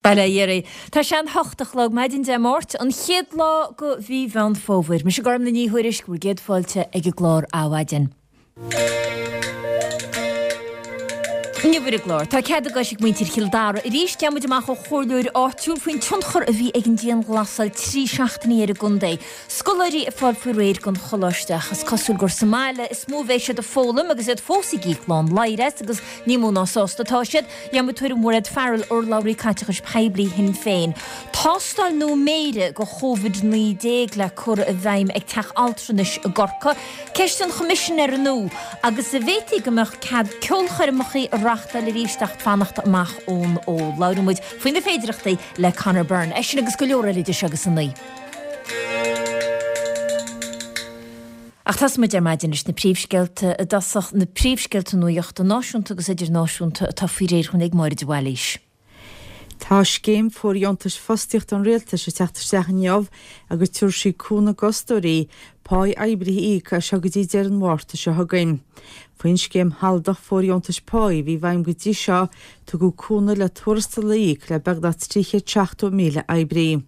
Bail ó Dhia oraibh. Tá sé an hocht a chlog maidin Dé Máirt, an chéad lá go mhí Mheán Fómhair. Mise Gormlaith Ní Thuairisg, bhur gcéad fáilte ag an gclár Adhmhaidin. Inniu ar an gclár, tá cead a gcois ag muintir Chill Dara arís. Gheobhaidh muid amach ó chomhairleoir áitiúil faoin tionchar a bhí ag an dianghlasáil 3 seachtainí ar an gcontae. Scoláirí ag fáil faoi réir don choláiste ach is cosúil gur sa mbaile is mó a bheidh siad ag foghlaim agus iad fós ag íoc lán ladhair as agus Ní mó ná sásta atá siad. Gheobhaidh muid tuairim Mhairéad Farrell, urlabhraí caiteachais poiblí Shinn Féin. Tástáil nua méire go Covid-19 le cur i bhfeidhm ag teach altranais i gCorcaigh. Ceist an Choimisinéara nua agus an bhféadfaí go mbeadh cead ceolchoirmeacha a reachtáil arís ach fanacht amach ón ól. Labhróidh muid faoi na féidireachtaí le Conor Byrne. É sin agus go leor eile idir seo agus a naoi. Ach tosóidh muid ar maidin leis na príomhscéalta i dtosach, na príomhscéalta nuachta náisiúnta agus idirnáisiúnta atá faoi réir dhúinn ag Máire de Bhailís. Tá scéim fóirdheontais fostaíochta an Rialtais ag teacht isteach inniu agus tabharfaidh sí cúnamh d'fhostóirí páí oibrithe a íoc as seo go dtí deireadh an Mhárta seo chugainn. Faoin scéim shealadach fóirdheontais páí a bhí i bhfeidhm go dtí seo, tugadh cúnamh le tuarastal a íoc le beagnach 370,000 oibrí.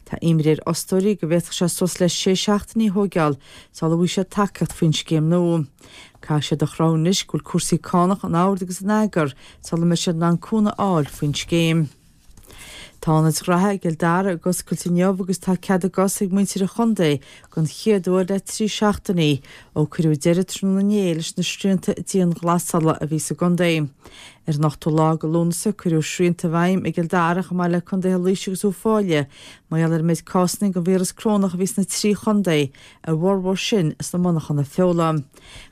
Tá imní ar fhostóirí go bhféadfadh sé suas le sé seachtainí a thóigeáil sula bhfaighidh siad tacaíocht faoin scéim nua. Caithfidh siad a chruthú anois go bhfuil cúrsaí cánach in ord agus in eagar sula mbeidh siad in ann cúnamh a fháil faoin scéim. Tá ionaid ghraithe i gCill Dara ag oscailt inniu agus tá cead a gcos ag muintir an chontae don chéad uair le 3 seachtainí ó cuireadh deireadh tráthnóna inné leis na srianta dianghlasála a bhí sa gcontae. Ar an ochtú lá de Lúnasa cuireadh srianta i bhfeidhm i gCill Dara chomh maith le contaetha Laoise agus Uíbh Fhailí mar gheall ar an méid cásanna den víreas corónach a bhí sna 3 chontae, a bhformhór sin sna monarchana feola.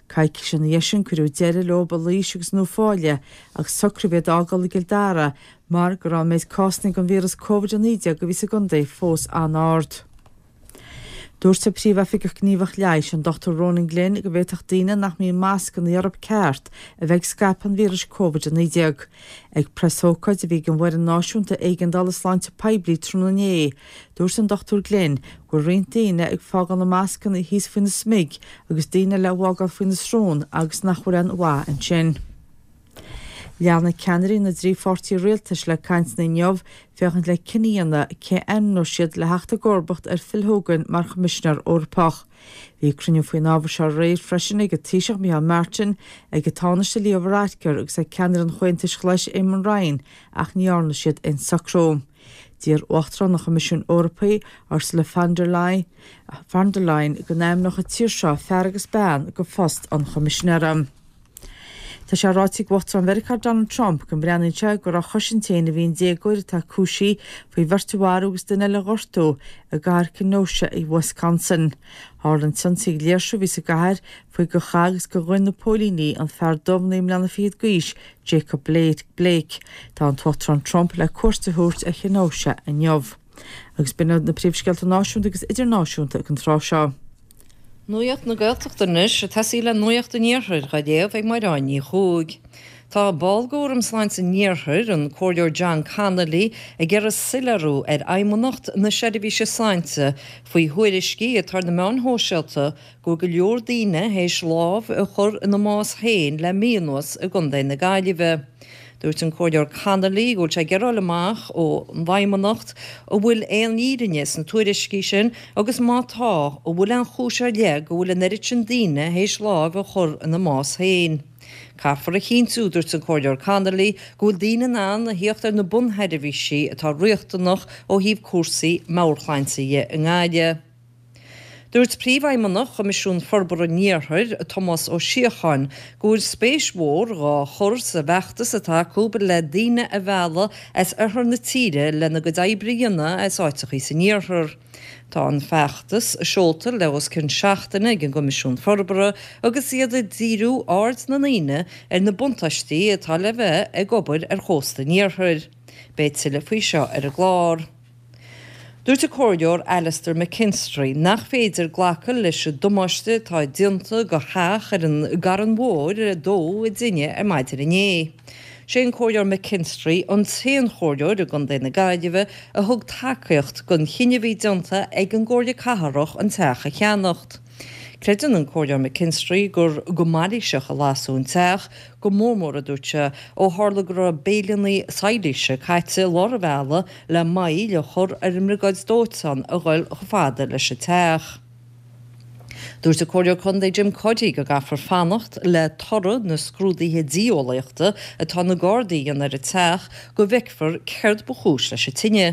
Coicís ina dhiaidh sin cuireadh deireadh leo i Laois agus in Uíbh Fhailí ach socraíodh iad a fhágáil i gCill Dara mar go raibh an méid cásanna den víreas Covid-19 a bhí sa gcontae fós an-ard. Dúirt an Príomhoifigeach Gníomhach Leighis, an Dr Ronan Glynn, go bhféadfadh daoine nach mbíonn mascanna orthu ceart a bheith ag scaipeadh an víris Covid-19. Ag preasócáid a bhí ag an bhFoireann Náisiúnta Éigeandála Sláinte Poiblí tráthnóna inné, dúirt an Dr Glynn go bhfuil roinnt daoine ag fágáil na mascanna thíos faoina smig agus daoine eile á bhfágáil faoina srón agus nach bhfuil aon mhaith ansin. Leanfaidh ceannairí na dtrí pháirtí rialtais le cainteanna inniu féachaint le cinneadh a dhéanamh cé a ainmneoidh siad le theacht i gcomharbacht ar Phil Hogan mar Choimisinéir Eorpach. Bhí cruinniú faoin ábhar seo aréir freisin ag an Taoiseach Micheál Martin, ag an Tánaiste Leo Varadkar agus ag ceannaire an Chomhaontais Ghlais Eamon Ryan ach ní dhearna siad aon socrú. D'iarr Uachtarán an Choimisiúin Eorpaigh, Ursula von der Leyen, go n-ainmneodh an tír seo fear agus bean go phost an Choimisinéara. Tá sé ráite ag Uachtarán Mheiriceá Donald Trump go mbreathnaíonn sé gur á chosaint féin a bhí an déagóir atá cúisithe faoi bheirt a mharú agus duine eile a ghortú i gcathair Kenosha i Wisconsin. Tharla an t-ionsaí ag léirsiú a bhí sa gcathair faoi gur chaith agus gur ghoin na póilíní an fear dubh 9 mbliana fichead d'aois, Jacob Blake. Tá an tUachtarán Trump le cuairt a thabhairt ar Kenosha inniu. Agus b'in iad na príomhscéalta náisiúnta agus idirnáisiúnta ag an tráth seo. Nuacht na Gaeltachta anois, ag tosaí le Nuacht an Iarthair dhá léamh ag Máireáin Ní Chuaig. Tá ball d'Fhóram Sláinte an Iarthair, an Comhairleoir John Connolly, ag iarraidh soiléiriú ar Fheidhmeannacht na Seirbhíse Sláinte faoi thuairiscí atá ar na meáin shóisialta go bhfuil go leor daoine théis lámh a chur ina mbás féin le mí anuas i gContae na Gaillimhe. Dúirt an Comhairleoir Connolly go bhfuil sé ag iarraidh a fháil amach ón bhFeidhmeannacht an bhfuil aon fhírinne sna tuairiscí sin agus má tá, an bhfuil aon chúis ar leith go bhfuil an oiread sin daoine théis lámh a chur ina mbás féin. Caithfear a chinntiú, dúirt an Comhairleoir Connolly, go bhfuil daoine in ann a thíocht ar na bunsheirbhísí atá riachtanach ó thaobh cúrsaí meabhairshláinte dhe i nGaillimh. Dúirt Príomhfheidhmeannach Choimisiún Forbartha an Iarthair, Tomás Ó Síocháin, go bhfuil spéis mhór dhá chur sa bhfeachtas atá acu le daoine a mhealladh as oirthear na tíre lena gcuid oibre a dhéanamh as áiteachaí san iarthar. Tá an feachtas seolta le os cionn seachtaine ag an gCoimisiún Forbartha agus iad ag díriú aird na ndaoine ar na buntáistí atá le bheith ag obair ar chósta an iarthair. Beidh tuilleadh faoi seo ar an gclár. Dúirt an Comhairleoir Alastair McKinstry nach féidir glacadh leis an damáiste atá déanta go theach ar an gCarn Mhór a dódh i dtine ar maidin inné. Sé an Comhairleoir McKinstry an t-aon chomhairleoir i gContae na Gaillimhe a thug tacaíocht don chinneadh a bhí déanta ag an gComhairle Cathrach an teach a cheannacht. Creideann an Comhairleoir McKinstry gur go mailíseach a lasadh an teach, go mór mór, a dúirt sé, ó tharla go raibh béileanna sailíse caite i lár an bhealaigh le moill a chur ar an mbriogáid dóiteáin a ghoil chomh fada leis an teach. Dúirt an Comhairleoir Contae Jim Cuddy go gcaithfear fanacht le toradh na scrúduithe dianeolaíochta atá na Gardaí a dhéanamh ar an teach go bhfeicfear céard ba chúis leis an tine.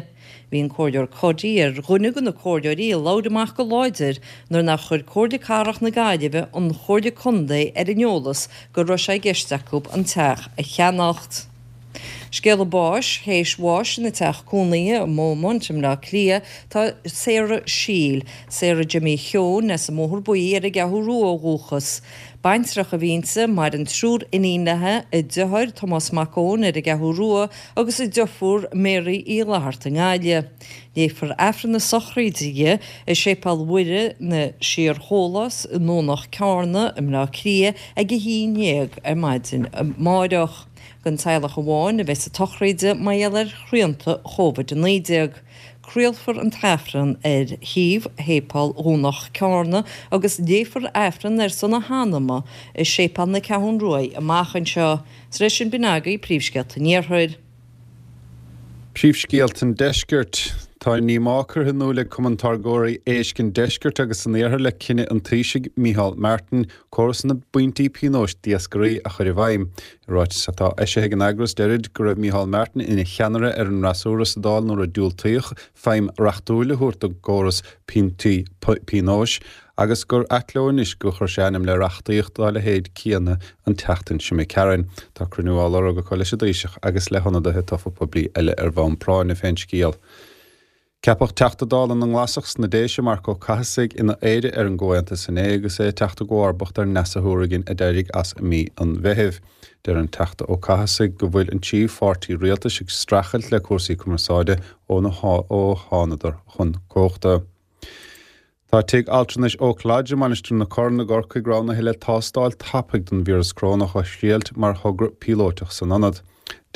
Bhí an Comhairleoir Cuddy ar dhuine de na comhairleoirí a labhair amach go láidir nuair nár chuir Comhairle Cathrach na Gaillimhe an Chomhairle Contae ar an eolas go raibh sé i gceist acu an teach a cheannacht. Scéala báis, Théis bháis ina teach cónaithe i Beaumont i mBleá Cliath tá Sarah Shiel, Sarah Jimmy Sheoin as an mBóthar Buí ar an gCeathrú Rua ó dhúchas. Baintreach a bhí inti, maireann triúr iníon léi, a deartháir Tomás Mac Eoin ar an gCeathrú Rua agus a deirfiúr Mary Uí Fhlatharta i nGaillimh. Léifear Aifreann na sochraide di i Séipéal Mhuire na Síor-Shólás i nDomhnach Cearna i mBleá Cliath ag a 11 ar maidin amáireach. Don teaghlach amháin a bheas an tsochraid mar gheall ar shrianta Chóvid 19. Craolfar an tAifreann ar shuíomh Shéipéal Dhomhnach Cearna agus léifear Aifreann ar son a hanama i Séipéal na Ceathrún Ruaidh amach anseo. Tar éis sin b'in agaibh príomhscéalta an Iarthair. Príomhscéalta an Deiscirt. Tá a ndíomá curtha in iúl ag Cumann Táirgeoirí Éisc an Deiscirt agus an Iarthair le cinneadh an Taoisigh, Micheál Martin, córas na bpointí pionóis d'iascairí a chur i bhfeidhm. I ráiteas atá eisithe ag an eagras, deirid go raibh Micheál Martin ina cheannaire ar an fhreasúra sa Dáil nuair a diúltaíodh feidhm reachtúil a thabhairt don gcóras pointí pionóis agus gur ait leo anois gur chuir sé ainm le reachtaíocht dá leithéid céanna an tseachtain seo imigh tharainn. Tá cruinniú á lorg acu leis an dTaoiseach agus le hionadaithe tofa poiblí eile ar bhonn práinne fén scéal. Ceapadh Teachta Dála na nGlasach sna Déise, Marc Ó Cathasaigh, ina Aire ar an gComhaontas inné agus é ag teacht i gcomharbacht ar Neasa Hourigan a d'éirigh as i mí an Mheithimh. Deir an Teachta Ó Cathasaigh go bhfuil an tríú pháirtí rialtais ag streachailt le cúrsaí cumarsáide ó thánadar chun cumhachta. Tá Tigh Altranais Oak Lodge i Mainistir na Corann i gCorcaigh roghnaithe le tástáil tapaidh don víreas corónach a thriailt mar thogra píolóiteach san ionad.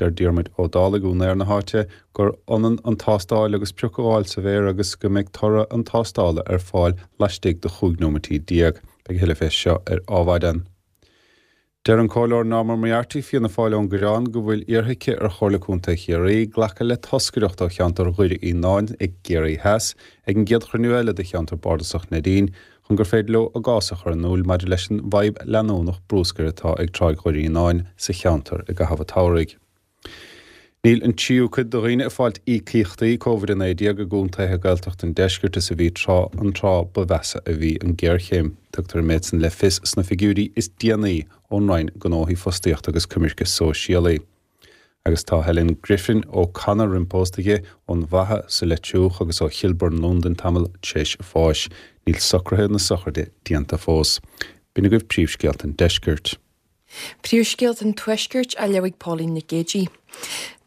Deir Diarmuid Ó Dálaigh, úinéir na háite, gur ionann an tástáil agus pioc a fháil sa mhéar agus go mbeidh toradh an tástála ar fáil laistigh de 15 nóimití. Beidh a thuilleadh fé seo ar Adhmhaidin. Deir an Comhairleoir Norma Moriarty, Fianna Fáil ón gCoireán, go bhfuil iarrtha aici ar Chomhairle Contae Chiarraí glacadh le toscaireacht ó cheantar Dhoire Fhíonáin i gCiarraí Theas ag an gcéad chruinniú eile de cheantar bardasach Neidín chun gur féidir leo a gcás a chur in iúl maidir leis an bhfadhb leanúnach brúscair atá ag Tráigh Dhoire Fhíonáin sa cheantar i gcaitheamh an tsamhraidh. Níl an tríú cuid de dhaoine ag fáilt íocaíochtaí Covid-19 i gcontaetha Gaeltachta an deiscirt is a bhí tráth an tráth ba mheasa a bhí an ghéarchéim. Tugtar an méid san le fios sna figiúirí is déanaí ón Roinn Gnóthaí Fostaíochta agus Coimirce Sóisialaí. Agus tá Helen Griffin O'Connor roim pósta aici ón bhFaiche sa Leitriúch agus ó Chilburn Londain tamall tar éis a bháis. Níl socruithe na sochraide déanta fós. B'in agaibh príomhscéalta an deiscirt. Príomhscéalta an Tuaiscirt á léamh ag Póilín Nic Géidigh.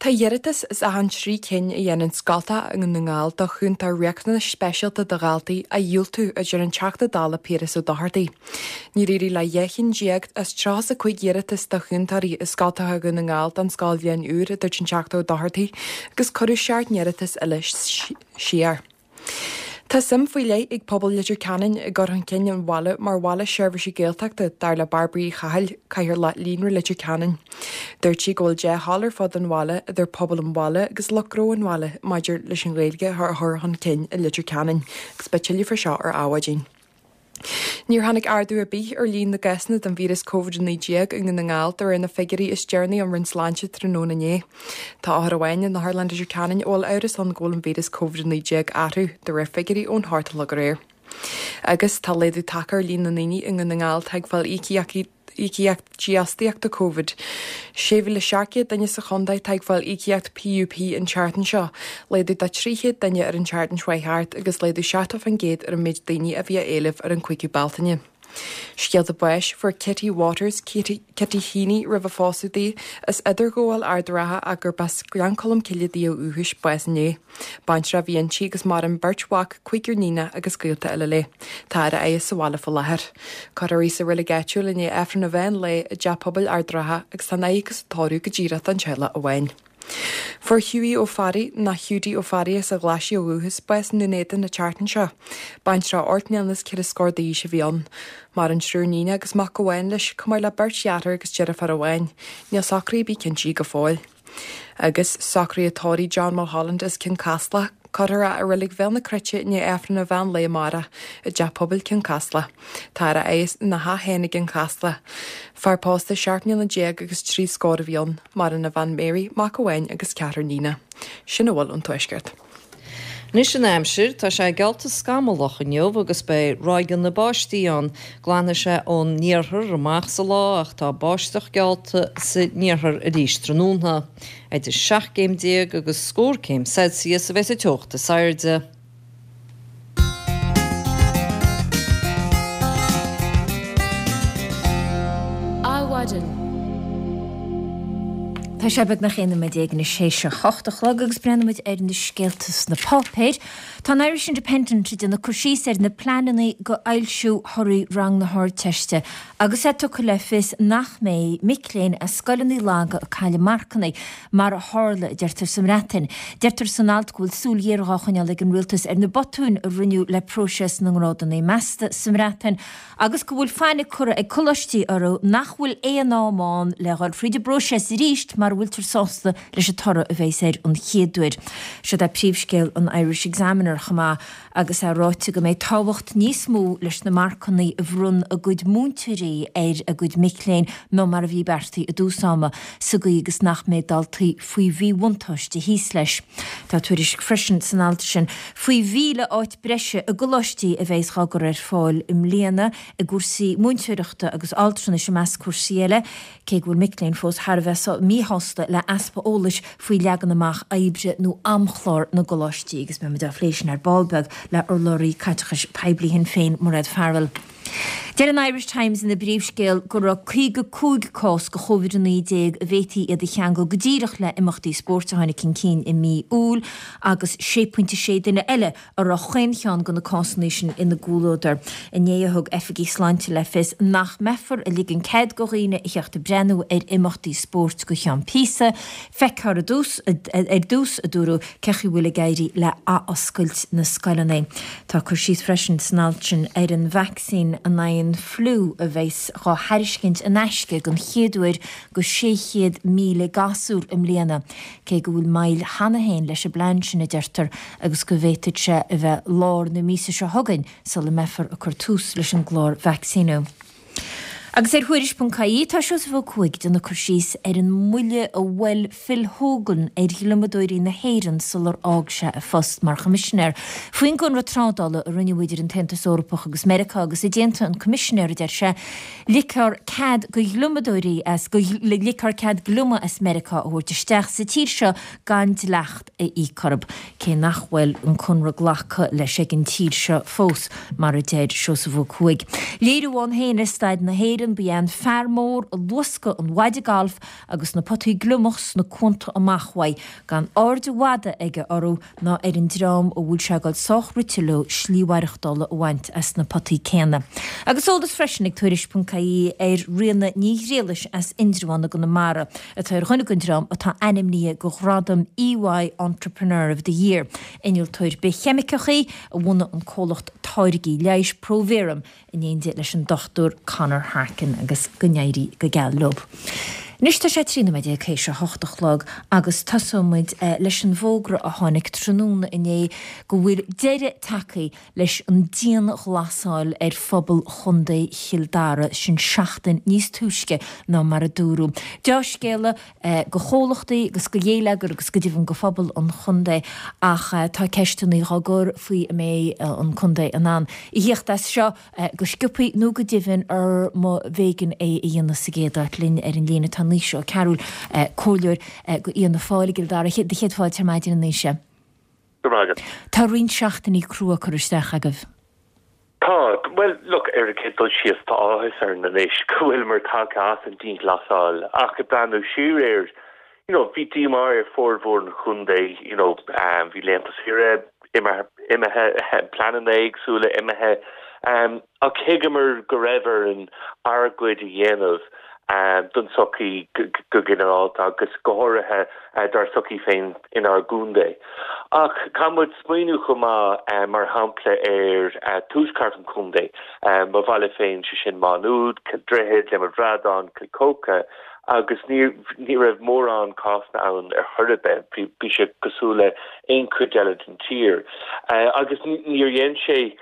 Tá iarratais as achan 3 cinn a dhéanann scoltacha i nDún na nGall do chúntóir riachtanais speisialta do dhaltaí á dhiúltú, a deir an Teachta Dála Piaras Ó Dochartaigh. Níor éirigh le 12 chinn as 35 iarratas do chúntóirí i scoltacha Dhún na nGall don scoilbhliain úr, a dúirt an Teachta Ó Dochartaigh, agus cuireadh 7 n-iarratas eile siar. Tá suim faoi leith ag pobal Leitir Ceanainn i gcur chun cinn an bhaile mar bhaile seirbhísí Gaeltachta, dar le Bairbre Uí Chathail, Cathaoirleach Líonra Leitir Ceanainn. Dúirt sí go bhfuil dea-thoil ar fud an bhaile idir pobal an bhaile agus lucht gnó an bhaile maidir leis an Ghaeilge a chur chun cinn i Leitir Ceanainn agus beidh tuilleadh faoi seo ar Adhmhaidin. Níor tháinig ardú ar bith ar líon na gcásanna den víreas Covid-19 i nDún na nGall de réir na figiúirí is deireanaí ón Roinn Sláinte tráthnóna inné. Tá othar amháin in Otharlann Leitir Ceanainn a bhfuil amhras ann go bhfuil an víreas Covid-19 orthu, de réir figiúirí ón hocht a chlog aréir. Agus tá laghdú tagtha ar líon na ndaoine i nDún na nGall atá ag fáil íocaíochtaí íocaíocht dífhostaíochta Covid. 6,700 duine sa chontae atá ag fáil íocaíocht PUP an tseachtain seo, laghdú de 300 duine ar an tseachtain seo chuaigh thart agus laghdú 70% ar an méid daoine a bhí á éileamh ar an 5ú Bealtaine. Scéalta báis, Fuair Kitty Waters, Kitty Heaney roimh a phósadh di, as Idirghabháil Ard an Rátha ach gurb as Gleann Cholm Cille di ó dhúchas, bás inné. Baintreach a bhí inti agus maireann beirt mhac, cúigear níonach agus gaolta eile léi. Tá ar a fhaire sa bhaile faoi láthair. Cuirfear í sa reilig áitiúil i ndiaidh Aifreann an mheán lae i dTeach Pobail Ard an Rátha agus tá an fhaire agus an tórramh go díreach don teaghlach amháin. Fuair Hughie Ó Fearraigh, nó Hiúdaí Ó Fearraigh as an Ghlaisigh ó dhúchas, bás i nDún Éideann an tseachtain seo. Baintreach 18 mbliana is 4 scór d'aois a bhí ann. Maireann triúr níonacha agus mac amháin leis, chomh maith le beirt dheartháir agus deirfiúr amháin. Níl socruithe ar bith cinntithe go fóill. Agus socruithe tórraimh John Mulholland as Cionn Caslach, cuirfear é i Reilig Bhéal na Cruite i ndiaidh Aifreann an mheán lae amárach i dTeach Pobail Cionn Caslach. Táthar á adhradh ina theach féin i gCionn Chasla. Fear pósta 17 mbliana agus 3 scór a bhí ann. Maireann a bhean Mary, mac amháin agus ceathrar níonacha. Sin a bhfuil ón Tuaisceart. Anois an aimsir, tá sé geallta scamallach inniu agus beidh ráigeanna báistí ann. Glanfaidh sé ón iarthar amach sa lá ach tá báisteach geallta san iarthar arís tráthnóna. Idir 17 gcéim agus scór céim Celsius a bheas an teocht is airde. Adhmhaidin. Tá sé beagnach 11 nóiméad anois théis a hocht a chlog agus breathnóimid ar na scéalta sna páipéir. Tá an Irish Independent ag déanamh cur síos ar na pleananna go fhoilsiú thorthaí rang na hArdteiste agus é tugtha le fios nach mbeidh mic léinn as scoileanna laga ag cailleadh marcanna mar a tharla, a deirtear sa mBreatain. Deirtear san alt go bhfuil súil ghéar dhá choinneáil ag an rialtas ar na botúin a rinneadh le próiseas na ngrádanna measta sa mBreatain agus go bhfuil fainic curtha ag coláistí orthu nach bhfuil aon am ann le dhul fríd an bpróiseas arís mara bhfuiltear sásta leis an toradh a bheas air an chéad uair. Siod é príomhscéal an Irish Examiner chomh maith agus é ráite go mbeidh tábhacht níos mó leis na marcanna a bhronn a gcuid múinteoirí ar a gcuid mic léinn ná mar a bhí beartaithe i dtús ama, sa gcaoi agus nach mbeidh daltaí faoi mhíbhuntáiste thíos leis. Tá tuairisc freisin san alt sin faoi 1,000 áit breise i gcoláistí a bheas dhá gcur ar fáil i mbliana i gcúrsaí múinteoireachta agus altranais i measc cúrsaí eile. Cé go bhfuil mic léinn fós thar a bheith míshásta le easpa eolais faoi leagan amach oibre nó amchlár na gcoláistí agus beidh muid á phlé sin ar ball beag le urlabhraí caiteachais poiblí Shinn Féin, Mairéad Farrell. Deir an Irish Times ina bpríomhscéal go raibh 55 cás de Chovid-19 a bhféadfaí iad a cheangal go díreach le himeachtaí spóirt a tháinig chun cinn i mí Iúil agus 6.6 duine eile a raibh chaon cheann de na cásanna sin ina gcomhluadar. Inné a thug oifigigh sláinte le fios nach mbeifear ag ligean cead do dhaoine a theacht ag breathnú ar imeachtaí spóirt go cheann píosa. Feicfear ar dtús, ar dtús, a dúradh, cé chaoi bhfuil ag éirí le athoscailt na scoileanna. Tá cur síos freisin san alt sin ar an vacsaín in aghaidh an fliú a bheas dhá thairiscint in aisce den chéad uair go 600,000 gasúr i mbliana. Cé go bhfuil moill cheana féin leis an bplean sin, a deirtear, agus go bhféadfadh sé a bheith lár na míosa seo chugainn sula mbeifear ag cur tús leis an gclár vacsaíniú. Agus ar Thuairisc.ie tá Seosamh Ó Cuaig ag déanamh cur síos ar an mbuille a bhuail Phil Hogan ar ghliomadóirí na hÉireann sular fhág sé a phost mar Choimisinéir. Faoin gconradh trádála a rinneadh idir an tAontas Eorpach agus Meiriceá agus i dteannta an Coimisinéir, a deir sé, Ligfear cead do ghliomadóirí as, ligfear cead gliomaigh as Meiriceá a thabhairt isteach sa tír seo gan dleacht a íoc orthu, cé nach bhfuil an conradh glactha leis ag an tír seo fós, mar a deir Seosamh Ó Cuaig. Léiriú ann féin ar staid na hÉireann ba ea an fear mór ag luascadh an mhaide gailf agus na potaí gliomach sna cuanta amach uaidh, gan aird mhada aige orthu ná ar an dream a bhfuil sé ag dul sách rite leo slí mhaireachtála a bhaint as na potaí céanna. Agus eolas freisin ag Tuairisc.ie ar Ríona Ní Ghriallais as Indreabhán i gConamara, atá ar dhuine den dream atá ainmnithe do ghradam EY Entrepreneur of the Year. Innealtóir bithcheimiceach í, a bhunaigh an comhlacht táirgí leighis ProVerum, in éindí leis an Dr Conor Harkin agus go n-éirí go geal leo. Anois tá sé 13 nóiméad théis a hocht a chlog agus tosóidh muid leis an bhfógra a tháinig tráthnóna inné go bhfuil deireadh tagtha leis an dianghlasáil ar phobal Chontae Chill Dara, sin seachtain níos túisce ná mar a dúradh. Deá-scéala do chomhlachtaí agus do gheilleagar agus go deimhin do phobal an chontae ach tá ceisteanna á gcur faoi an mbeidh an contae in ann a thíocht as seo go sciobthaí nó go deimhin ar má b'éigean é a dhéanamh sa gcéad áit. Linn ar an líne tá Naoise Ó Cearúil, comhairleoir do Fhianna Fáil i gCill Dara. Do chéad fáilte ar maidin a Naoise. Go raibh maith agat. Tá roinnt seachtainí crua curtha isteach agaibh. Tá, bhuel, look, ar an gcéad dul síos, tá áthas orainn anois go bhfuileamar tagtha as an dianghlasáil ach ag breathnú siar air, you know, bhí díomá ar formhór an chontae, you know, bhí laethanta saoire imithe, pleananna éagsúla imithe, ach thuigeamar go raibh orainn ár gcuid a dhéanamh. don tsochaí go ginearálta agus go háirithe dár sochaí féin inár gcontae. Ach caithfidh muid smaoineamh chomh maith, mar shampla, ar tuaisceart an chontae, mo bhaile féin, sé sin Má Nuad, Cill Droichid, Liath Bhradáin, Cill Chóca, agus ní ní raibh mórán cásanna ann ar chor ar bith, bhí sé cosúil le aon chuid eile den tír. Agus níor dhein sé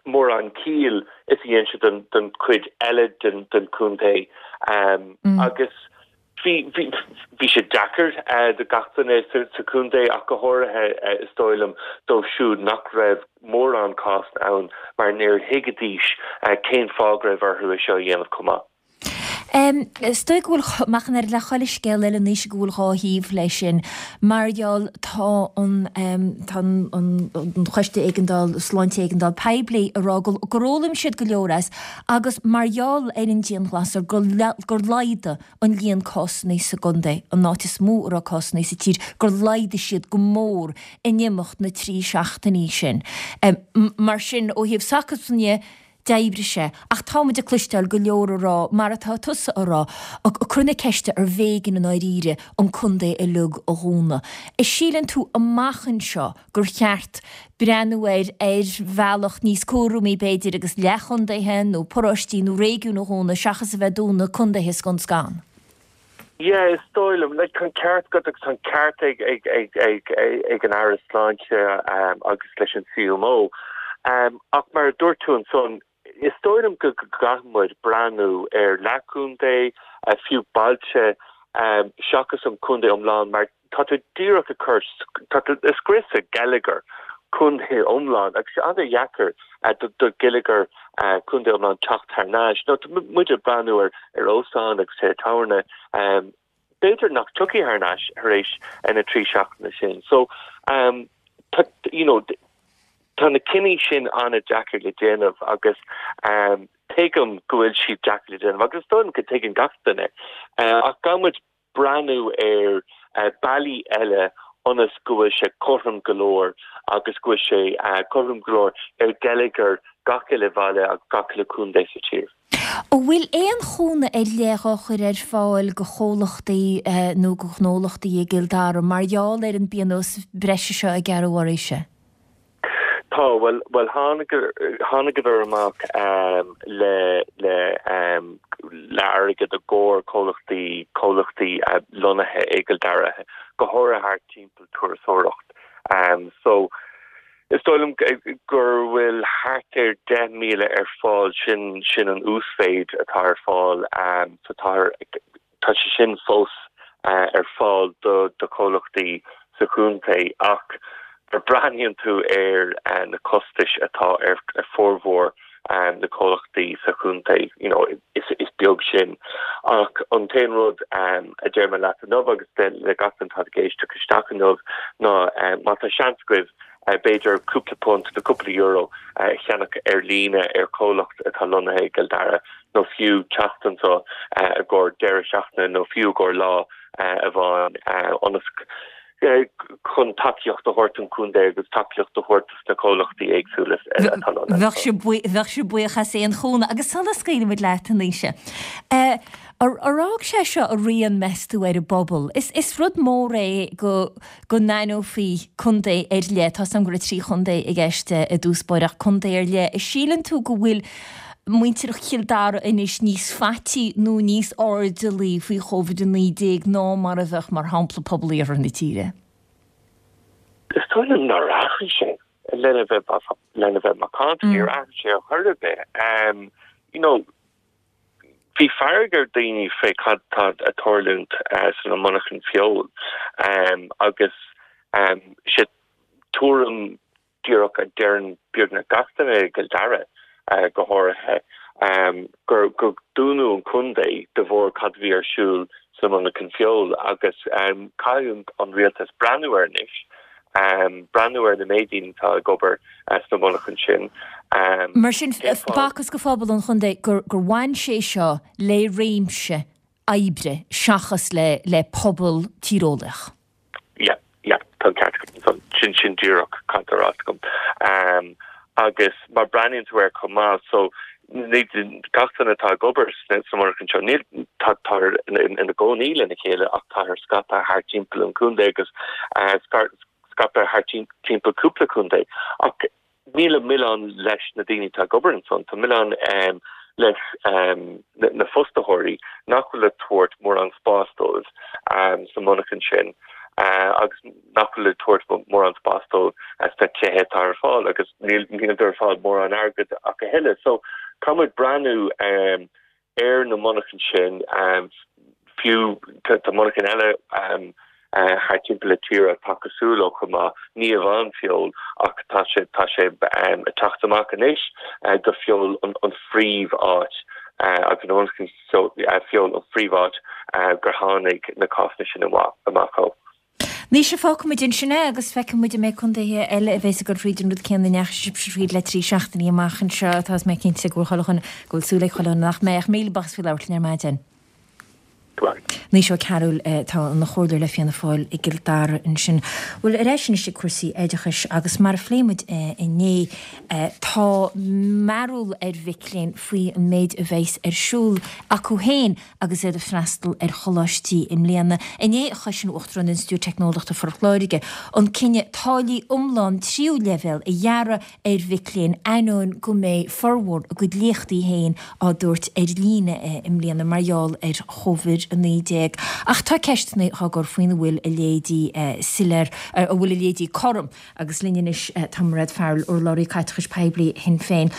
mórán ciall is a dhein sé don chuid eile den chontae agus bhí bhí sé deacair do gach duine sa chontae ach go háirithe is dóigh liom dóibh siúd nach raibh mórán cásanna ann mar níor thuigidís cén fáth go raibh orthu é seo a dhéanamh chomh maith. Is dóigh go bhfuil, ach an oiread le chuile scéal eile anois, go bhfuil dhá thaobh leis sin. Mar gheall, tá an, tá an, an Choiste Éigeandáil, Sláinte Éigeandáil Poiblí ag rá gur fhoghlaim siad go leor as agus mar gheall ar an dianghlasáil gur, gur laghdaigh an líon cásanna sa gcontae, an áit is mó a raibh cásanna sa tír, gur laghdaigh siad go mór in imeacht na dtrí seachtainí sin. Mar sin, ó thaobh s'acusan dhe, D'oibrigh sé. Ach tá muid ag cloisteáil go leor a rá, mar atá tusa a rá, ag cur na ceiste arbh éigean i ndáiríre an contae uilig a dhúnadh. An síleann tú amach anseo gur cheart breathnú air ar bhealach níos cúramaí b'fhéidir agus leathchontaetha nó paróistí nó réigiúin a dhúnadh seachas a bheith ag dúnadh contaetha scun scan? Yeah, is dóigh liom. Like, tá an ceart agat agus tá an ceart ag, ag, ag, ag, ag an Aire Sláinte agus leis an CMO. Ach mar a dúirt tú ansan, is dóigh liom go gcaithfidh muid breathnú ar leathchontae, fiú bailte, seachas an contae iomlán mar tá tú díreach ag cur, tá tú ag scriosadh geilleagar contae iomlán agus sé an-dheacair do gheilleagar contae iomlán teacht thar n-ais. Nó tá muid ag breathnú ar ar óstáin agus tithe tábhairne, b'fhéidir nach dtiocfaidh thar n-ais thar éis na dtrí seachtaine sin. So, tá, you know, tá na cinní sin an-deacair le déanamh agus tuigim go bhfuil siad deacair le déanamh agus is dóigh liom go dtuigeann gach duine. Ach caithfidh muid breathnú ar bealaí eile ionas go bhfuil sé cothrom go leor agus go bhfuil sé cothrom go leor ar gheilleagar gach uile bhaile agus gach uile contae sa tír. An bhfuil aon chúnamh ar leith á chur ar fáil do chomhlachtaí nó do ghnólachtaí i gCill Dara mar gheall ar an bpionós breise seo a gearradh oraibhse? Tá, bhuel, bhuel tháinigeadar amach le, le, le airgead i gcomhair comhlachtaí, comhlachtaí lonnaithe i gCill Dara, go háirithe thart timpeall turasóireacht. So, is dóigh liom gur bhfuil thart ar 10,000 ar fáil, sin, sin an uasmhéid atá ar fáil. So tá, Tá sé sin fós ar fáil do chomhlachtaí sa chontae ach nuair a breathnaíonn tú ar na costais atá ar formhór na comhlachtaí sa chontae, you know, is beag sin. Ach an t-aon rud a deir mé leat inniu agus le gach duine atá ag éisteacht isteach inniu ná má tá seans agaibh b'fhéidir cúpla punt nó cúpla euro a cheannach ar líne ar chomhlacht atá lonnaithe i gCill Dara nó fiú teacht anseo i gcomhair deireadh seachtaine nó fiú i gcomhair lá amháin ionas chun tacaíocht a thabhairt don chontae agus tacaíocht a thabhairt dos na comhlachtaí éagsúla atá lonnaithe anseo. Bheadh sibh buíoch as aon chúnamh. Agus sula scaoilimid leat, a Naoise, ar fhág sé seo a rian, meas tú, ar an bpobal? Is rud mór é go go n-aithneofaí contae ar leith, tá 's agam go raibh 3 chontae i gceist i dtús báire, ach contae ar leith, an síleann tú go bhfuil muintir Chill Dara anois níos faití nó níos airdeallaí faoi Covid-19 ná mar a bheadh, mar shampla, pobal iarthar na tíre? Is dóigh liom nár athraigh sé, lena bheith, lena bheith macánta, níor athraigh sé ar chor ar bith. You know, Bhí fearg ar daoine fé cad tá ag tarlúint sna monarchain feoil agus sé tuairim díreach a deireann beagnach gach duine i gCill Dara go háirithe gur gur dúnadh an contae de bharr cad a bhí ar siúl sna monarchain feoil agus caithfidh an rialtas breathnú air anois breathnú ar na méid daoine atá ag obair sna monarchain sin. Mar sin, b'fhacthas do phobal an chontae gur bhain sé seo le réimse oibre seachas le pobal tíreolaíoch. Yeah, yeah, tá an ceart agat ansan. Sin, sin díreach cad tá ráite agam. Agus má breathnaíonn tú air chomh maith, so. Gach duine atá ag obair sa monarcha seo, níl, táthar ina gcónaí lena chéile ach táthar scaipthe thart timpeall an chontae agus scaipthe thart timpeall cúpla contae. Ach níl an milleán leis na daoine atá ag obair ansan, tá milleán leis na fostaitheoirí nach bhfuil ag tabhairt mórán spáis dóibh sa monarcha sin agus nach bhfuil ag tabhairt mórán spáis dóibh sna tithe atá ar fáil agus níl ar fáil mórán airgid ach a thuilleadh. So caithfidh muid breathnú ar na monarchain sin, fiú tá monarchain eile thart timpeall na tíre atá cosúil leo chomh maith, ní amháin Feabhal ach tá sé tá sé ag teacht amach anois gur Feabhal an phríomh-áit agus na monarchain Feabhal an phríomh-áit gur tháinig na cásanna sin amach ó. Naoise, fágfaimid ansin é agus feicfidh muid an mbeidh contaetha eile a bheas ag dul thríd an rud céanna a ndeachaigh sibhse thríd le 3 seachtainí amach anseo atá is mé cinnte go bhfuil chuile dhuine, go bhfuil súil ag chuile dhuine nach mbeidh ach míle buíochas faoi labhairt linn ar maidin. Naoise Ó Cearúil atá ina chomhairleoir le Fianna Fáil i gCill Dara ansin. Bhuel, ar ais anois ag cúrsaí oideachais agus mar a phléigh muid inné, tá mearbhall ar mhic léinn faoi an méid a bheas ar siúl acu féin agus iad ag freastal ar choláistí i mbliana. Inné a chosain Uachtarán Institiúid Teicneolaíochta Phort Láirge an cinneadh táillí iomlán tríú leibhéal a ghearradh ar mhic léinn ainneoin go mbeidh formhór a gcuid léachtaí féin á dtabhairt ar líne i mbliana mar gheall ar Chóivid-19. Ach tá ceisteanna á gcur faoina bhfuil a leithéidí soiléir, an bhfuil a leithéidí cothrom agus linn anois tá Mairéad Farrell, urlabhraí caiteachais poiblí Shinn Féin.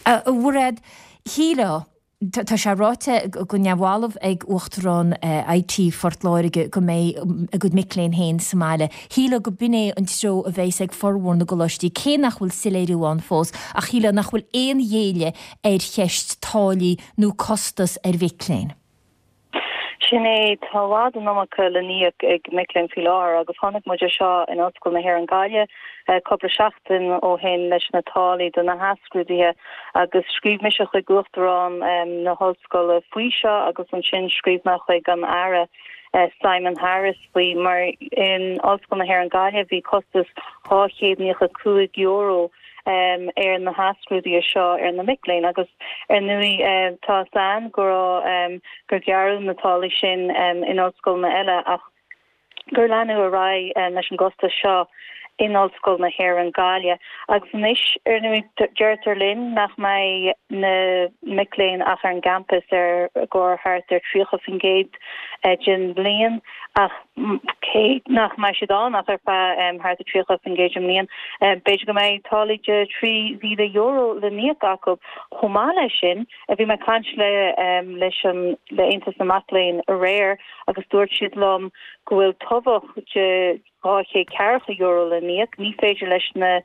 A Mhairéad, shílfeá, Tá sé ráite go neamhbhalbh ag Uachtarán IT Phort Láirge go mbeidh a gcuid mic léinn féin sa mbaile. Shílfeá go b'in é an treo a bheas ag formhór na gcoláistí, cé nach bhfuil soiléiriú ann fós, ach shílfeá nach bhfuil aon ghéilleadh ar cheist táillí nó costas ar mhic léinn. Sin é, tá i bhfad an iomarca le n-íoc ag mic léinn faoi láthair agus chonaic muid é seo in Ollscoil na hÉireann Gaillimh cúpla seachtain ó shin leis na táillí do na hathscrúduithe agus scríobh mise chuig Uachtarán na hOllscoile faoi seo agus ansin scríobh mé chuig an Aire Simon Harris faoi mar in Ollscoil na hÉireann Gaillimh bhí costas €295 ar na hathscrúduithe seo ar na mic léinn agus ar ndóigh tá 'fhios a'inn go raibh gur gearradh na táillí sin in ollscoileanna eile ach gur leanadh ar aghaidh leis an gcostas seo in Ollscoil na hÉireann, Gaillimh. Agus anois, ar ndóigh, deirtear linn nach mbeidh na mic léinn ach ar an gcampas ar i gcomhair thart ar 30% den bhliain, ach cé nach mbeidh siad ann ach ar feadh thart ar 30% den mbliain, b'fhéidir go mbeidh táillí de €3,000 le n-íoc acu. Chomh maith leis sin, bhí mé ag caint le leis an le Aontas na Mac Léinn aréir, agus dúirt siad liom go bhfuil tobhach de €240 le n-íoc. Ní féidir leis na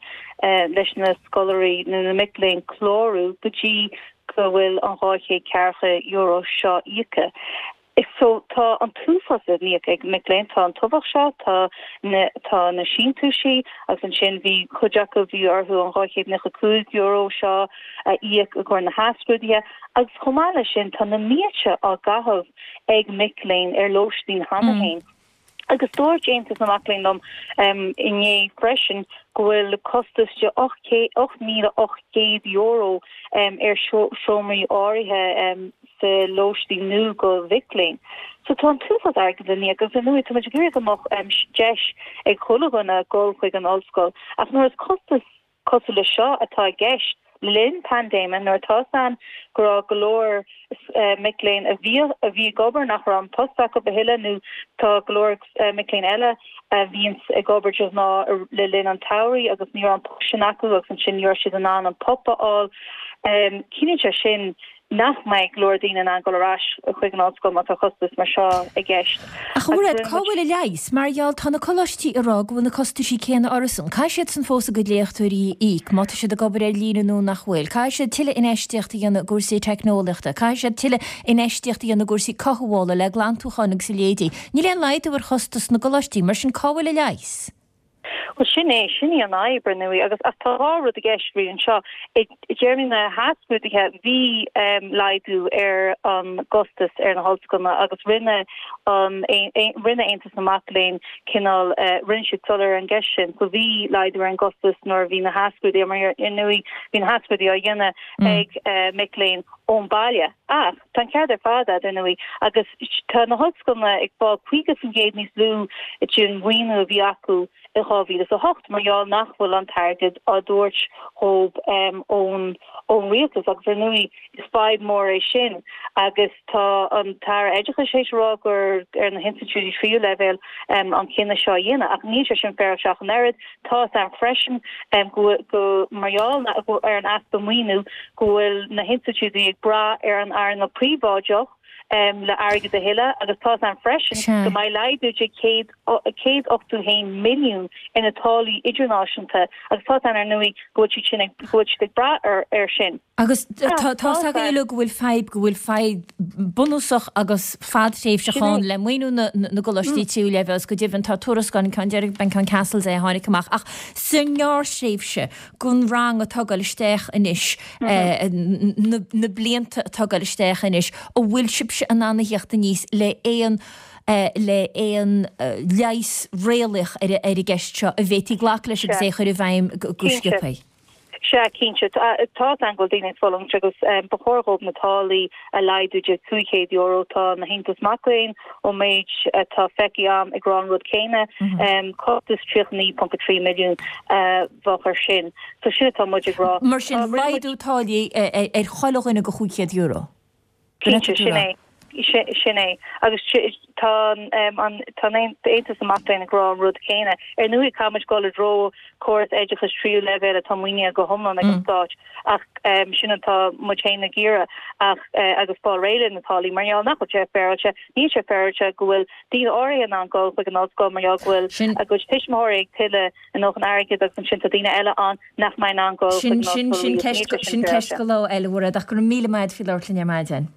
leis na scoláirí nó na mic léinn clárú go dtí go bhfuil an €240 seo íoctha. So tá an t-uafás le n-íoc ag mic léinn. Tá an tobhach seo, tá na tá na síntiúisí agus ansin bhí cuid acu bhí orthu an €295 seo a íoc i gcomhair na hathscrúduithe agus chomh maith leis sin tá na mílte á gcaitheamh ag mic léinn ar lóistín cheana féin. Agus dúirt Aontas na Mac Léinn liom inné freisin go bhfuil costas de €8,800 ar seomraí áirithe sa lóistín nua do mhic léinn. So tá an t-uafás airgid le n-íoc agus ar ndóigh tá muid ag iarraidh go mbeadh deis ag chuile dhuine dul chuig an ollscoil ach nuair is costas cosúil leis seo atá i gceist le linn paindéime nuair atá 'fhios a'inn go raibh go leor mic léinn a bhí a bhí ag obair nach raibh an post acu a thuilleadh nó tá go leor mic léinn eile a bhíonns ag obair de ghnáth le linn an tsamhraidh agus ní raibh an post sin acu agus ansin ní raibh siad in ann an PUP a fháil. Ciallaíonn sé sin nach mbeidh go leor daoine in ann dul ar ais chuig an ollscoil má tá costas mar seo i gceist. Ach a Mhairéad, cá bhfuil an leigheas? Mar gheall, tá na coláistí ag rá go bhfuil na costaisí céanna orthusan. Caithfidh siadsan fós a gcuid léachtóirí a íoc, má tá siad ag obair ar líne nó nach bhfuil. Caithfidh siad tuilleadh infheistíocht a dhéanamh i gcúrsaí teicneolaíochta. Caithfidh siad tuilleadh infheistíocht a dhéanamh i gcúrsaí cothabhála, le glantúcháin agus a leithéidí. Níl aon laghdú ar chostas na gcoláistí, mar sin cá bhfuil an leigheas? Bhuel, sin é, sin í an fhadhb, ar ndóigh, agus ach tá dhá rud i gceist really anseo. I dtéarmaí na hathscrúduithe, bhí laghdú ar an gcostas ar na hollscoileanna agus rinne an, rinne Aontas na Mac Léinn cineál, rinne siad soiléir ar an gceist sin. So bhí laghdú ar an gcostas nuair a bhí na hathscrúduithe, mar ar ndóigh bhí na hathscrúduithe á dhéanamh ag mic léinn ón baile. Ach tá an ceart ar fad agat, ar ndóigh, agus tá na hollscoileanna ag fáil 50% níos lú den mhaoiniú a bhí acu i 2008 mar gheall nach bhfuil an t-airgead á dtabhairt dhóibh ón ón rialtas agus ar ndóigh is fadhb mhór é sin agus tá an tAire Oideachais théis a rá gur ar na hinstitiúidí tríú leibhéal an cinneadh seo a dhéanamh ach níl sé sin féaráilte ach an oiread. Tá fhios a'm freisin go go mar gheall ar an easpa maoiniú go bhfuil na hinstitiúidí ag brath ar an earnáil príobháideach le airgead a thuilleadh agus tá fhios a'm freisin go mbeidh laghdú de 181 milliún ar na táillí idirnáisiúnta agus tá fhios a'm ar ndóigh go bhfuil siad sin ag go bhfuil siad ag brath air sin. Agus tá fhios againn uilig go bhfuil fadhb, go bhfuil fadhb bunúsach agus fadtréimhseach ann le maoiniú na gcoláistí tríú leibhéal agus go deimhin tá tuarascáil, an ceann deiridh, b'é an ceann Cassells é a tháinig amach, ach sa ngearrthréimhse don rang atá ag dul isteach anois, na blianta atá ag dul isteach anois, an bhfuil sibhse in ann a theacht aníos le aon le aon leigheas réalaíoch ar an gceist seo a bhféadfaí glacadh leis agus é a chur i bhfeidhm go sciobtha? Sea, cinnte. Tá fhios a'm go bhfuil daoine ag fulaingt agus ba chóir dhóibh na táillí a laghdú de €500. Tá an tAontas Mac Léinn, ón méid atá feicthe a'm, ag rá an rud céanna. Costas 39.3 milliún a bheadh ar sin. So sin atá muid ag rá. Mar sin, laghdú táillí ar chuile dhuine go €500. Cinnte, sin é. Sin é. Agus tá an tAontas na Mac Léinn ag rá an rud céanna. Ar ndóigh, caithfidh muid dul i dtreo córas oideachais tríú leibhéal atá maoinithe go hiomlán ag an Stát ach sin atá muid féin ag iarraidh ach agus fáil réidh le na táillí mar gheall nach bhfuil sé féaráilte. Níl sé féaráilte go bhfuil daoine áirithe in ann dul chuig an ollscoil mar gheall go bhfuil a gcuid tuismitheoirí ag tuilleadh a ndóthain airgid agus ansin tá daoine eile ann nach mbeidh in ann dul chuig an ollscoil Sin riamh. Sin ceist do lá eile, a Mhairéad, ach go raibh míle maith agat faoi labhairt linn ar maidin.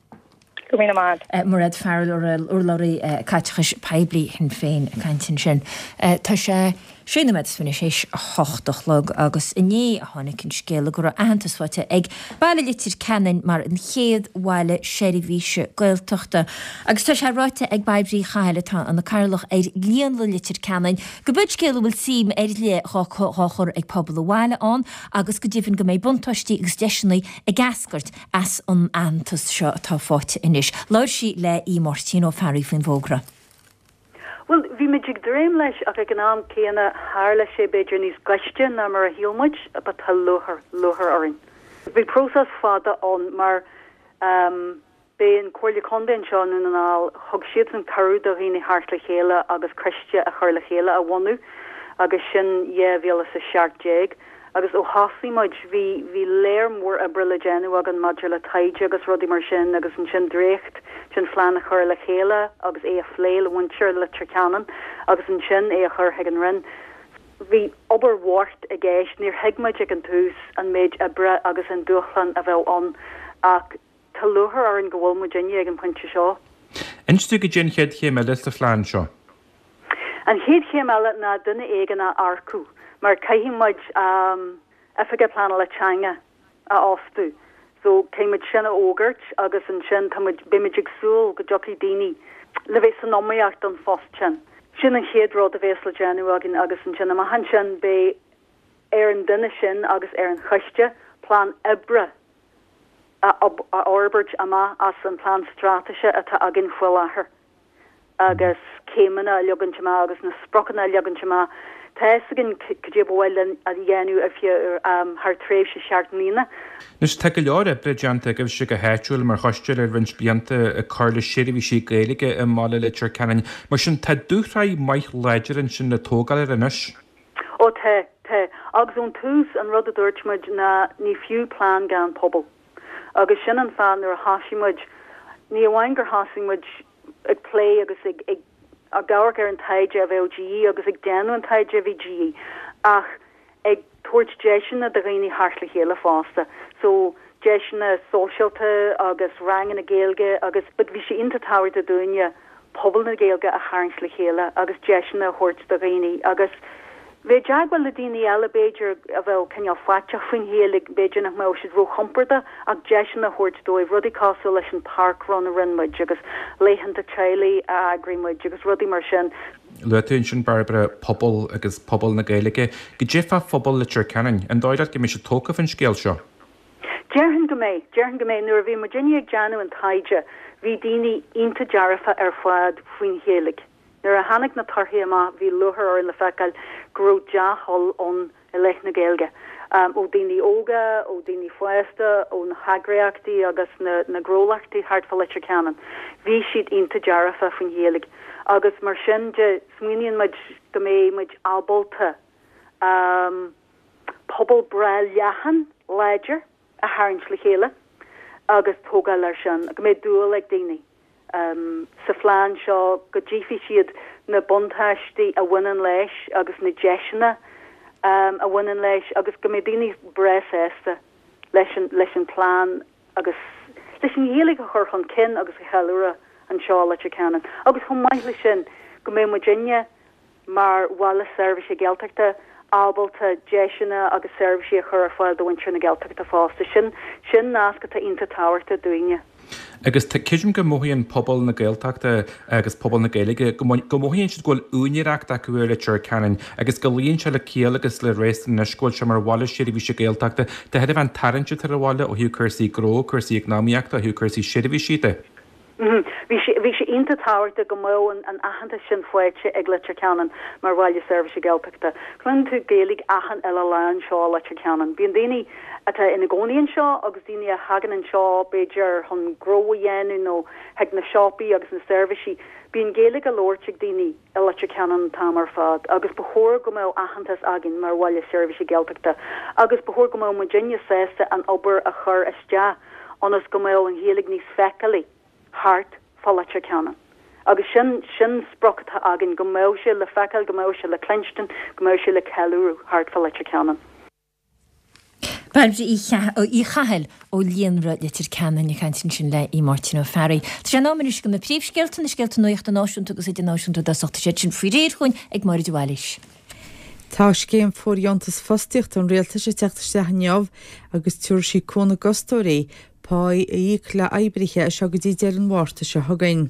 Go raibh míle maith agat. Mairéad Farrell, urlabhraí caiteachais poiblí Shinn Féin ag caint ansin. Tá sé sé nóiméad is fiche théis a hocht a chlog agus inné a tháinig an scéala go raibh aitheantas faighte ag baile Leitir Ceanainn mar an chéad bhaile seirbhíse Gaeltachta. Agus tá sé ráite ag Bairbre Uí Chathail atá ina cathaoirleach ar Líonra Leitir Ceanainn Go b'in scéal a bhfuil suim ar leith dhá chur ag pobal an bhaile ann agus go deimhin go mbeidh buntáistí agus deiseanna ag eascairt as an aitheantas seo atá faighte anois. Labhair sí le Aodh Máirtín Ó Fearraigh faoin bhfógra. Bhuel, bhí muid ag dréim leis ach ag an am céanna tharla sé b'fhéidir níos gaiste ná mar a shíl muid but tá lúcháir, lúcháir orainn. Bhí próiseas fada ann mar ehm, B'é an Comhairle Contae anseo i nDún na nGall, thug siadsan cuireadh do dhaoine theacht le chéile agus coiste a chur le chéile, a bhunú agus sin 2017. Agus ó thosaigh muid, bhí, bhí léar mór oibre le déanamh againn maidir le taighde agus rudaí mar sin agus ansin dréacht den phlean a chur le chéile agus é a phlé le muintir Leitir Ceanainn agus ansin é a chur chuig an Roinn. Bhí obair mhór i gceist, níor thuig muid ag an tús an méid oibre agus an dúshlán a bheadh ann ach, Tá lúcháir orainn go bhfuil muidinne ag an bpointe seo. Inis dúinn cad é an chéad chéim eile sa phlean seo. An chéad chéim eile ná duine éigin a earcú mar caithfidh muid Oifigeach Pleanála Teanga a fhostú. So caithfidh muid sin a fhógairt agus ansin tá muid, beidh muid ag súil go dtiocfaidh daoine le bheith san iomaíocht don phost sin. Sin an chéad rud a bhéas le déanamh againn agus ansin amach ansin beidh ar an duine sin agus ar an choiste plean oibre a fhorbairt amach as an plean straitéise atá againn faoi láthair agus céimeanna a leagaint amach agus na spriocanna a leagaint amach. Tá a fhios againn cad é ba mhaith linn a dhéanamh ar feadh thar tréimhse sheacht mbliana. Anois, tá go leor oibre déanta agaibhse go háitiúil mar choiste le roinnt blianta ag cur le seirbhísí Gaeilge i mbaile Leitir Ceanainn. Mar sin, tá dúshraith maith láidir ansin le tógáil air anois. Ó tá, tá. Agus ón tús, an rud a dúirt muid ná ní fiú plean gan pobal. Agus sin an fáth nuair a thosaigh muid, ní amháin gur thosaigh muid ag plé agus ag, ag, ag amharc ar an taighde a bheadh de dhíth agus ag déanamh an taighde a bhí de dhíth, ach ag tabhairt deiseanna do dhaoine theacht le chéile fosta. So, deiseanna sóisialta agus ranganna Gaeilge agus, but bhí sé iontach tábhachtach dúinne pobal na Gaeilge a tharraingt le chéile agus deiseanna a thabhairt do dhaoine agus. Bheith i dteagmháil le daoine eile b'fhéidir a bheadh cineál faiteach faoin Ghaeilge, b'fhéidir nach mbeadh siad róchompordach ach deiseanna a thabhairt dóibh, rudaí cosúil leis an parkrun a rinne muid agus laethanta teaghlaigh a eagraigh muid agus rudaí mar sin. Luaigh tú ansin, Bairbre, pobal agus pobal na Gaeilge. Goidé fá phobal Leitir Ceanainn? An dóigh leat go mbeidh siad tógtha faoin scéal seo? Déarfainn go mbeidh. Déarfainn go mbeidh. Nuair a bhí muidinne ag déanamh an taighde bhí daoine iontach dearfa ar fad faoin Ghaeilge. Nuair a tháinig na torthaí amach bhí lúcháir orainn le feiceáil go raibh dea-thoil ann i leith na Gaeilge, ó daoine óga, ó daoine fásta, ó na heagraíochtaí agus na gnólachtaí thart fá Leitir Ceanainn. Bhí siad iontach dearfa faoin Ghaeilge agus mar sin de smaoiníonn muid go mbeidh muid ábalta pobal breá leathan, láidir a tharraingt le chéile agus tógáil air sin, go mbeidh dúil ag daoine. sa phlean seo, go dtchífidh siad na buntáistí a bhaineann leis agus na deiseanna a bhaineann leis agus go mbeidh daoine breá sásta leis an leis an phlean agus leis an Ghaeilge a chur chun cinn agus a cheiliúradh anseo i Leitir Ceanainn. Agus chomh maith leis sin, go mbeidh muidinne mar bhaile seirbhíse Gaeltachta, ábalta deiseanna agus seirbhísí a chur ar fáil do mhuintir na Gaeltachta fosta. Sin, sin nasc atá iontach tábhachtach dúinne. Agus tá, creidim go mothaíonn pobal na Gaeltachta agus pobal na Gaeilge, go, go mothaíonn siad go bhfuil úinéireacht acu ar Leitir Ceanainn agus go luíonn sé le ciall agus le réasún anois go bhfuil sé mar bhaile seirbhíse Gaeltachta de thairbhe an tarraingt atá ar an bhaile ó thaobh cúrsaí gnó, cúrsaí eacnamaíochta, ó thaobh cúrsaí seirbhísí de. Bhí sé, bhí sé iontach tábhachtach go mbeadh an aitheantas sin faighte ag Leitir Ceanainn mar bhaile seirbhíse Gaeltachta. Cluineann tú Gaeilge achan uile lá anseo i Leitir Ceanainn. Bíonn daoine atá ina gcónaí anseo agus daoine a thagann anseo b'fhéidir chun gnó a dhéanamh nó chuig na siopaí agus na seirbhísí. Bíonn Gaeilge á labhairt ag daoine i Leitir Ceanainn an t-am ar fad agus ba chóir go mbeadh aitheantas againn mar bhaile seirbhíse Gaeltachta agus ba chóir go mbeadh muidinne sásta an obair a chur isteach ionas go mbeadh an Ghaeilge níos feiceálaí thart fá Leitir Ceanainn. Agus sin, sin sprioc atá againn, go mbeadh sé le feiceáil, go mbeadh sé le cluinstin, go mbeadh sé le ceiliúradh thart fá Leitir Ceanainn. Bairbre Uí Chathail ó Líonra Leitir Ceanainn ag caint ansin le Máirtín Ó Fearraigh. Tá sé in am anois do na príomhscéalta, na scéalta nuachta náisiúnta agus idirnáisiúnta i dtosach. Tá siad sin faoi réir chugainn ag Máire de Bhailís. Tá scéim fóirdheontas fostaíochta an Rialtais ag teacht isteach inniu agus tabharfaidh sí cúnamh d'fhostóirí páí a íoc le oibrithe as seo go dtí deireadh an Mhárta seo chugainn.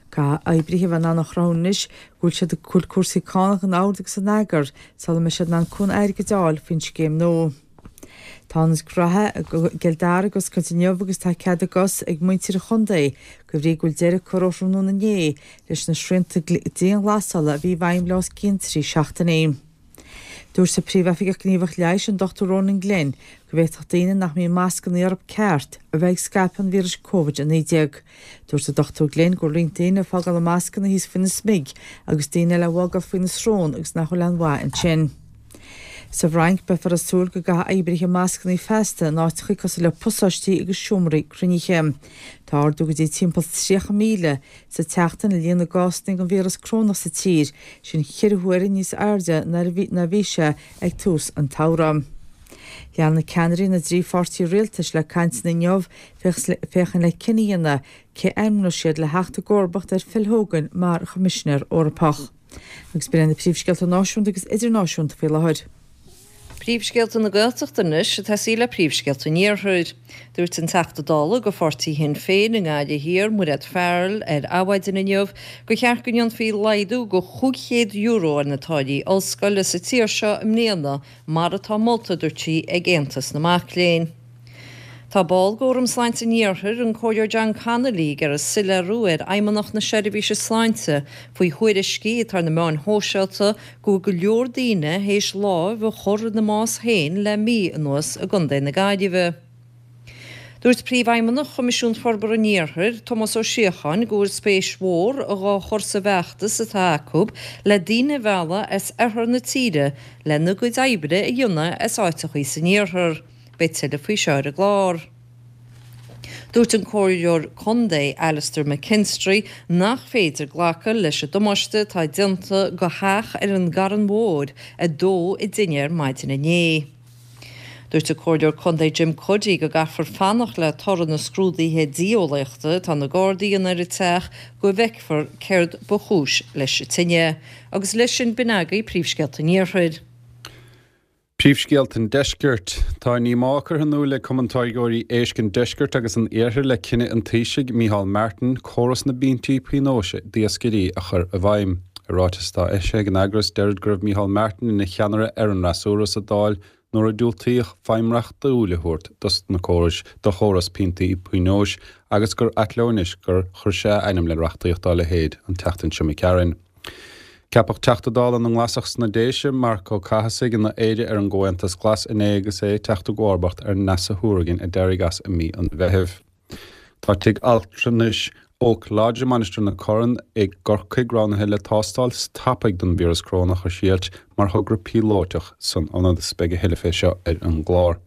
Caithfidh oibrithe a bheith in ann a chruthú anois go bhfuil siad go bhfuil cúrsaí cánach in ord agus in eagar sula mbeidh siad in ann cúnamh airgid a fháil faoin scéim nua. Tá ionad graithe i gCill Dara ag oscailt inniu agus tá cead a gcos ag muintir an chontae de bhrí go bhfuil deireadh curtha ó thráthnóna inné leis na srianta dianghlasála a bhí i bhfeidhm le os cionn 3 seachtainí. Dúirt an Príomhoifigeach Gníomhach Leighis, an Dr Ronan Glynn, go bhféadfadh daoine nach mbíonn mascanna orthu ceart a bheith ag scaipeadh an víris Covid-19. Dúirt an Dr Glynn go bhfuil roinnt daoine ag fágáil a mascanna thíos faoina smig agus daoine eile á bhfágáil faoina srón agus nach bhfuil aon mhaith ansin. Sa bhFrainc, beifear ag súil go gcaithfidh oibrithe mascanna feasta in áiteacha cosúil le pasáistí agus seomraí cruinnithe. Tá ardú go dtí timpeall 30,000 sa tseachtain i líon na gcásanna den víreas corónach sa tír, sin cheithre huaire níos airde ná a bhí sé ag tús an tsamhraidh. Leanfaidh ceannairí na dtrí pháirtí rialtais le cainteanna inniu féachaint le cinneadh a dhéanamh cé a ainmneoidh siad le theacht i gcomharbacht ar Phil Hogan mar Choimisinéir Eorpach. Agus b'in iad na príomhscéalta náisiúnta agus idirnáisiúnta faoi láthair. Príomhscéalta na Gaeltachta anois, ag tosaí le príomhscéalta an Iarthair. Dúirt an Teachta Dála do pháirtí Shinn Féin i nGaillimh Thiar, Mairéad Farrell, ar Adhmhaidin inniu gur cheart go ndéanfaí laghdú de €500 ar na táillí ollscoile sa tír seo i mbliana mar atá molta, dúirt sí, ag Aontas na Mac Léinn. Tá ball d'Fhóram Sláinte an Iarthair, an Comhairleoir John Connolly, ag iarraidh soiléiriú ar Fheidhmeannacht na Seirbhíse Sláinte faoi thuairiscí atá ar na meáin shóisialta go bhfuil go leor daoine théis lámh a chur ina mbás féin le mí anuas i gContae na Gaillimhe. Dúirt Príomhfheidhmeannach Choimisiún Forbartha an Iarthair, Tomás Ó Síocháin, go bhfuil spéis mhór dhá chur sa bhfeachtas atá acu le daoine a mhealladh as oirthear na tíre lena gcuid oibre a dhéanamh as áiteachaí san iarthar. Beidh tuilleadh faoi seo ar an gclár. Dúirt an Comhairleoir Contae Alastair McKinstry nach féidir glacadh leis an damáiste atá déanta go theach ar an gCarn Mhór a dódh i dtine ar maidin inné. Dúirt an Comhairleoir Contae Jim Cuddy go gcaithfear fanacht le toradh na scrúduithe dianeolaíochta atá na Gardaí a dhéanamh ar an teach go bhfeicfear céard ba chúis leis an tine. Agus leis sin b'in agaibh príomhscéalta an Iarthair. Príomhscéalta an Deiscirt. Tá díomá curtha in iúl ag Cumann Táirgeoirí Éisc an Deiscirt agus an Iarthair le cinneadh an Taoisigh, Micheál Martin, córas na bpointí pionóis d'iascairí a chur i bhfeidhm. I ráiteas atá eisithe ag an eagras, deirid go raibh Micheál Martin ina cheannaire ar an fhreasúra sa Dáil nuair a diúltaíodh feidhm reachtúil a thabhairt dos na córais do chóras pointí pionóis agus gur ait leo anois gur chuir sé a ainm le reachtaíocht dá leithéid an tseachtain seo imigh tharainn. Ceapadh Teachta Dála na nGlasach sna Déise, Marc Ó Cathasaigh, ina Aire ar an gComhaontas Glas inné agus é ag teacht i gcomharbacht ar Neasa Hourigan a d'éirigh as i mí an Mheithimh. Tá tigh altranais Oak Lodge i Mainistir na Corann i gCorcaigh roghnaithe le tástáil tapaidh don víreas corónach a thriailt mar thogra píolóiteach san ionad. Beidh a thuilleadh fé seo ar an gclár.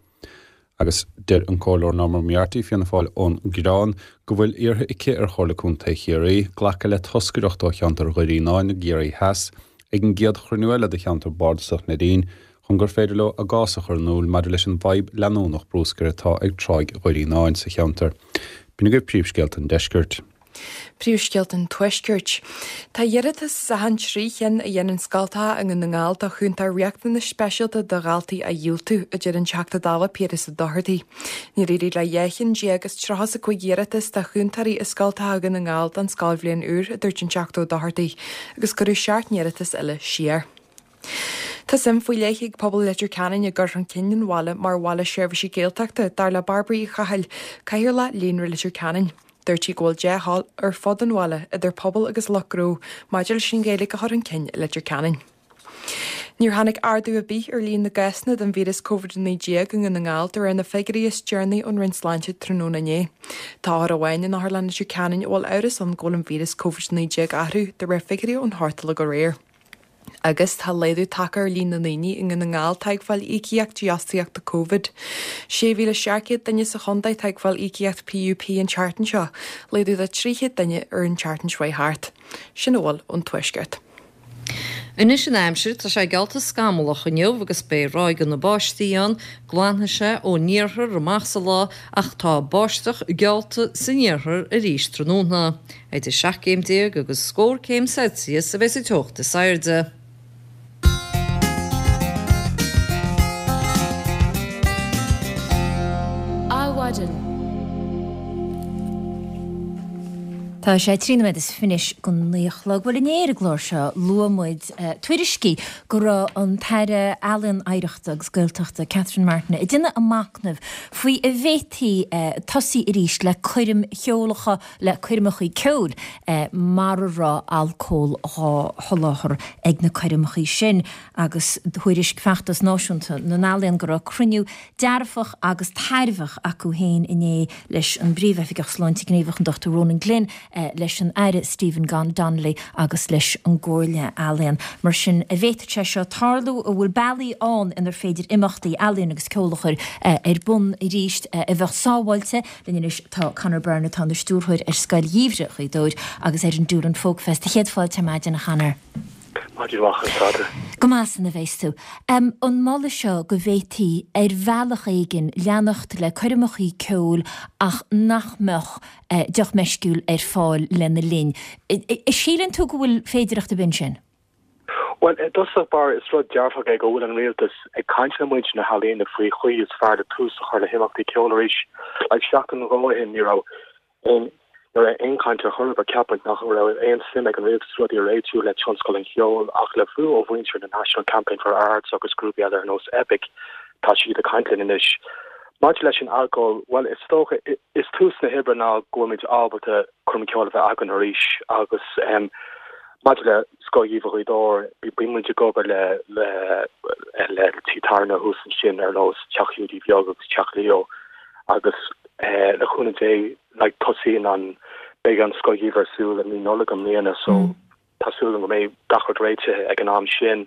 Agus deir an Comhairleoir Norma Moriarty, Fianna Fáil ón gCoireán, go bhfuil iarrtha aici ar Chomhairle Contae Chiarraí glacadh le toscaireacht ó cheantar Dhoirí Fhíonáin i gCiarraí Theas ag an gcéad chruinniú eile de cheantar bardasach Neidín chun gur féidir leo a gcás a chur in iúl maidir leis an bhfadhb leanúnach brúscair atá ag Tráigh Dhoirí Fhíonáin sa cheantar. B'in agaibh príomhscéalta an deiscirt. Príomhscéalta an Tuaiscirt. Tá iarratas as achan 3 chinn a dhéanann scoltacha i nDún na nGall do chúntóir riachtanais speisialta do dhaltaí á dhiúltú, a deir an Teachta Dála Piaras Ó Dochartaigh. Níor éirigh le 12 chinn as 35 iarratas do chúntóirí i scoltacha Dhún na nGall don scoilbhliain úr, a dúirt an Teachta Ó Dochartaigh, agus cuireadh 7 n-iarratas eile siar. Tá suim faoi leith ag pobal Leitir Ceanainn i gcur chun cinn an bhaile mar bhaile seirbhísí Gaeltachta, dar le Bairbre Uí Chathail, Cathaoirleach Líonra Leitir Ceanainn. Dúirt sí go bhfuil dea-thoil ar fud an bhaile, idir pobal agus lucht gnó, maidir leis an Ghaeilge a chur chun cinn i Leitir Ceanainn. Níor tháinig ardú ar bith ar líon na gcásanna den víreas Covid-19 i nDún na nGall de réir na figiúirí is deireanaí ón Roinn Sláinte tráthnóna inné. Tá othar amháin in Otharlann Leitir Ceanainn a bhfuil amhras ann go bhfuil an víreas Covid-19 orthu, de réir figiúirí ón Chortolg aréir. Agus tá laghdú tagtha ar líon na ndaoine i nDún na nGall atá ag fáil íocaíocht dífhostaíochta Covid. 6,700 duine sa chontae atá ag fáil íocaíocht PUP an tseachtain seo, laghdú de 300 duine ar an tseachtain seo chuaigh thart. Sin a bhfuil ón Tuaisceart. Anois an aimsir, tá sé geallta scamallach inniu agus beidh ráigeanna báistí ann. Glanfaidh sé ón iarthar amach sa lá ach tá báisteach geallta san iarthar arís tráthnóna. Idir 17 céim agus scór céim Celsius a bheidh sa teocht is airde. Adhmhaidin. Tá sé 13 nóiméad anois go 9 a chlog. Bhuel inné ar an gclár seo luaigh muid tuairiscí go raibh an tAire Ealaíon, Oidhreachta agus Gaeltachta Catherine Martin ag déanamh a machnaimh faoi an bhféadfaí tosaí arís le coirm cheolacha le coirmeachaí ceoil mara raibh alcól dhá sholáthar ag na coirmeachaí sin agus thuairisc Feachtas Náisiúnta na nEalaíon go raibh cruinniú dearfach agus tairbheach acu féin inné leis an bPríomh-Oifigeach Sláinte Gníomhach an Dr Ronan Glynn, leis an Aire Stephen Donnelly agus leis an gComhairle Ealaíon. Mar sin, an bhféadfadh sé seo tarlú? An bhfuil bealaí ann inar féidir imeachtaí ealaíon agus ceoil a chur ar bun arís a bheadh sábháilte? Linn anois tá Conor Byrne atá ina stiúrthóir ar Scoil Gheimhridh Ghaoth Dobhair agus ar an Doolin Folk Fest. Céad fáilte ar maidin, a Chonor. Maidin mhaith, conas tá tú? Go maith san a bheas tú. An moladh seo go bhféadfaí ar bhealach éigin leanacht le coirmeachaí ceoil ach nach mbeadh deoch meisciúil ar fáil lena linn. Síleann tú go bhfuil féidireacht ar bith ansin? Bhuel, i dtosach báire, is rud dearfach é go bhfuil an rialtas ag caint le muintir na healaíona faoi chaoi is fearr le tús a chur le himeachtaí ceoil arís. Like, seachtain nó dhó ó shin, ní raibh aon, ní raibh aon chaint ar chor ar bith, cheap muid nach raibh aon suim ag an rialtas rudaí a réitiú le tionscal an cheoil, ach le brú ó mhuintir na National Campaign for Arts agus grúpaí eile ar nós Eipic, tá siad ag caint linn anois. Maidir leis an alcól, bhuel, is dócha, is tús na hoibre ná go bhfuil muid ábalta coirm ceoil a bheith againn arís agus, em, Maidir le Scoil Gheimhridh Ghaoth Dobhair, bíonn muid ag obair le le tithe tábhairne thuas ansin ar nós Teach Hiúdaí Bheag agus Teach Leo agus le cúnamh Dé like tosaíonn an beidh an Scoil Gheimhridh ar siúl i mí Nollag i mbliana so tá súil agam go mbeidh gach rud réitithe ag an am sin.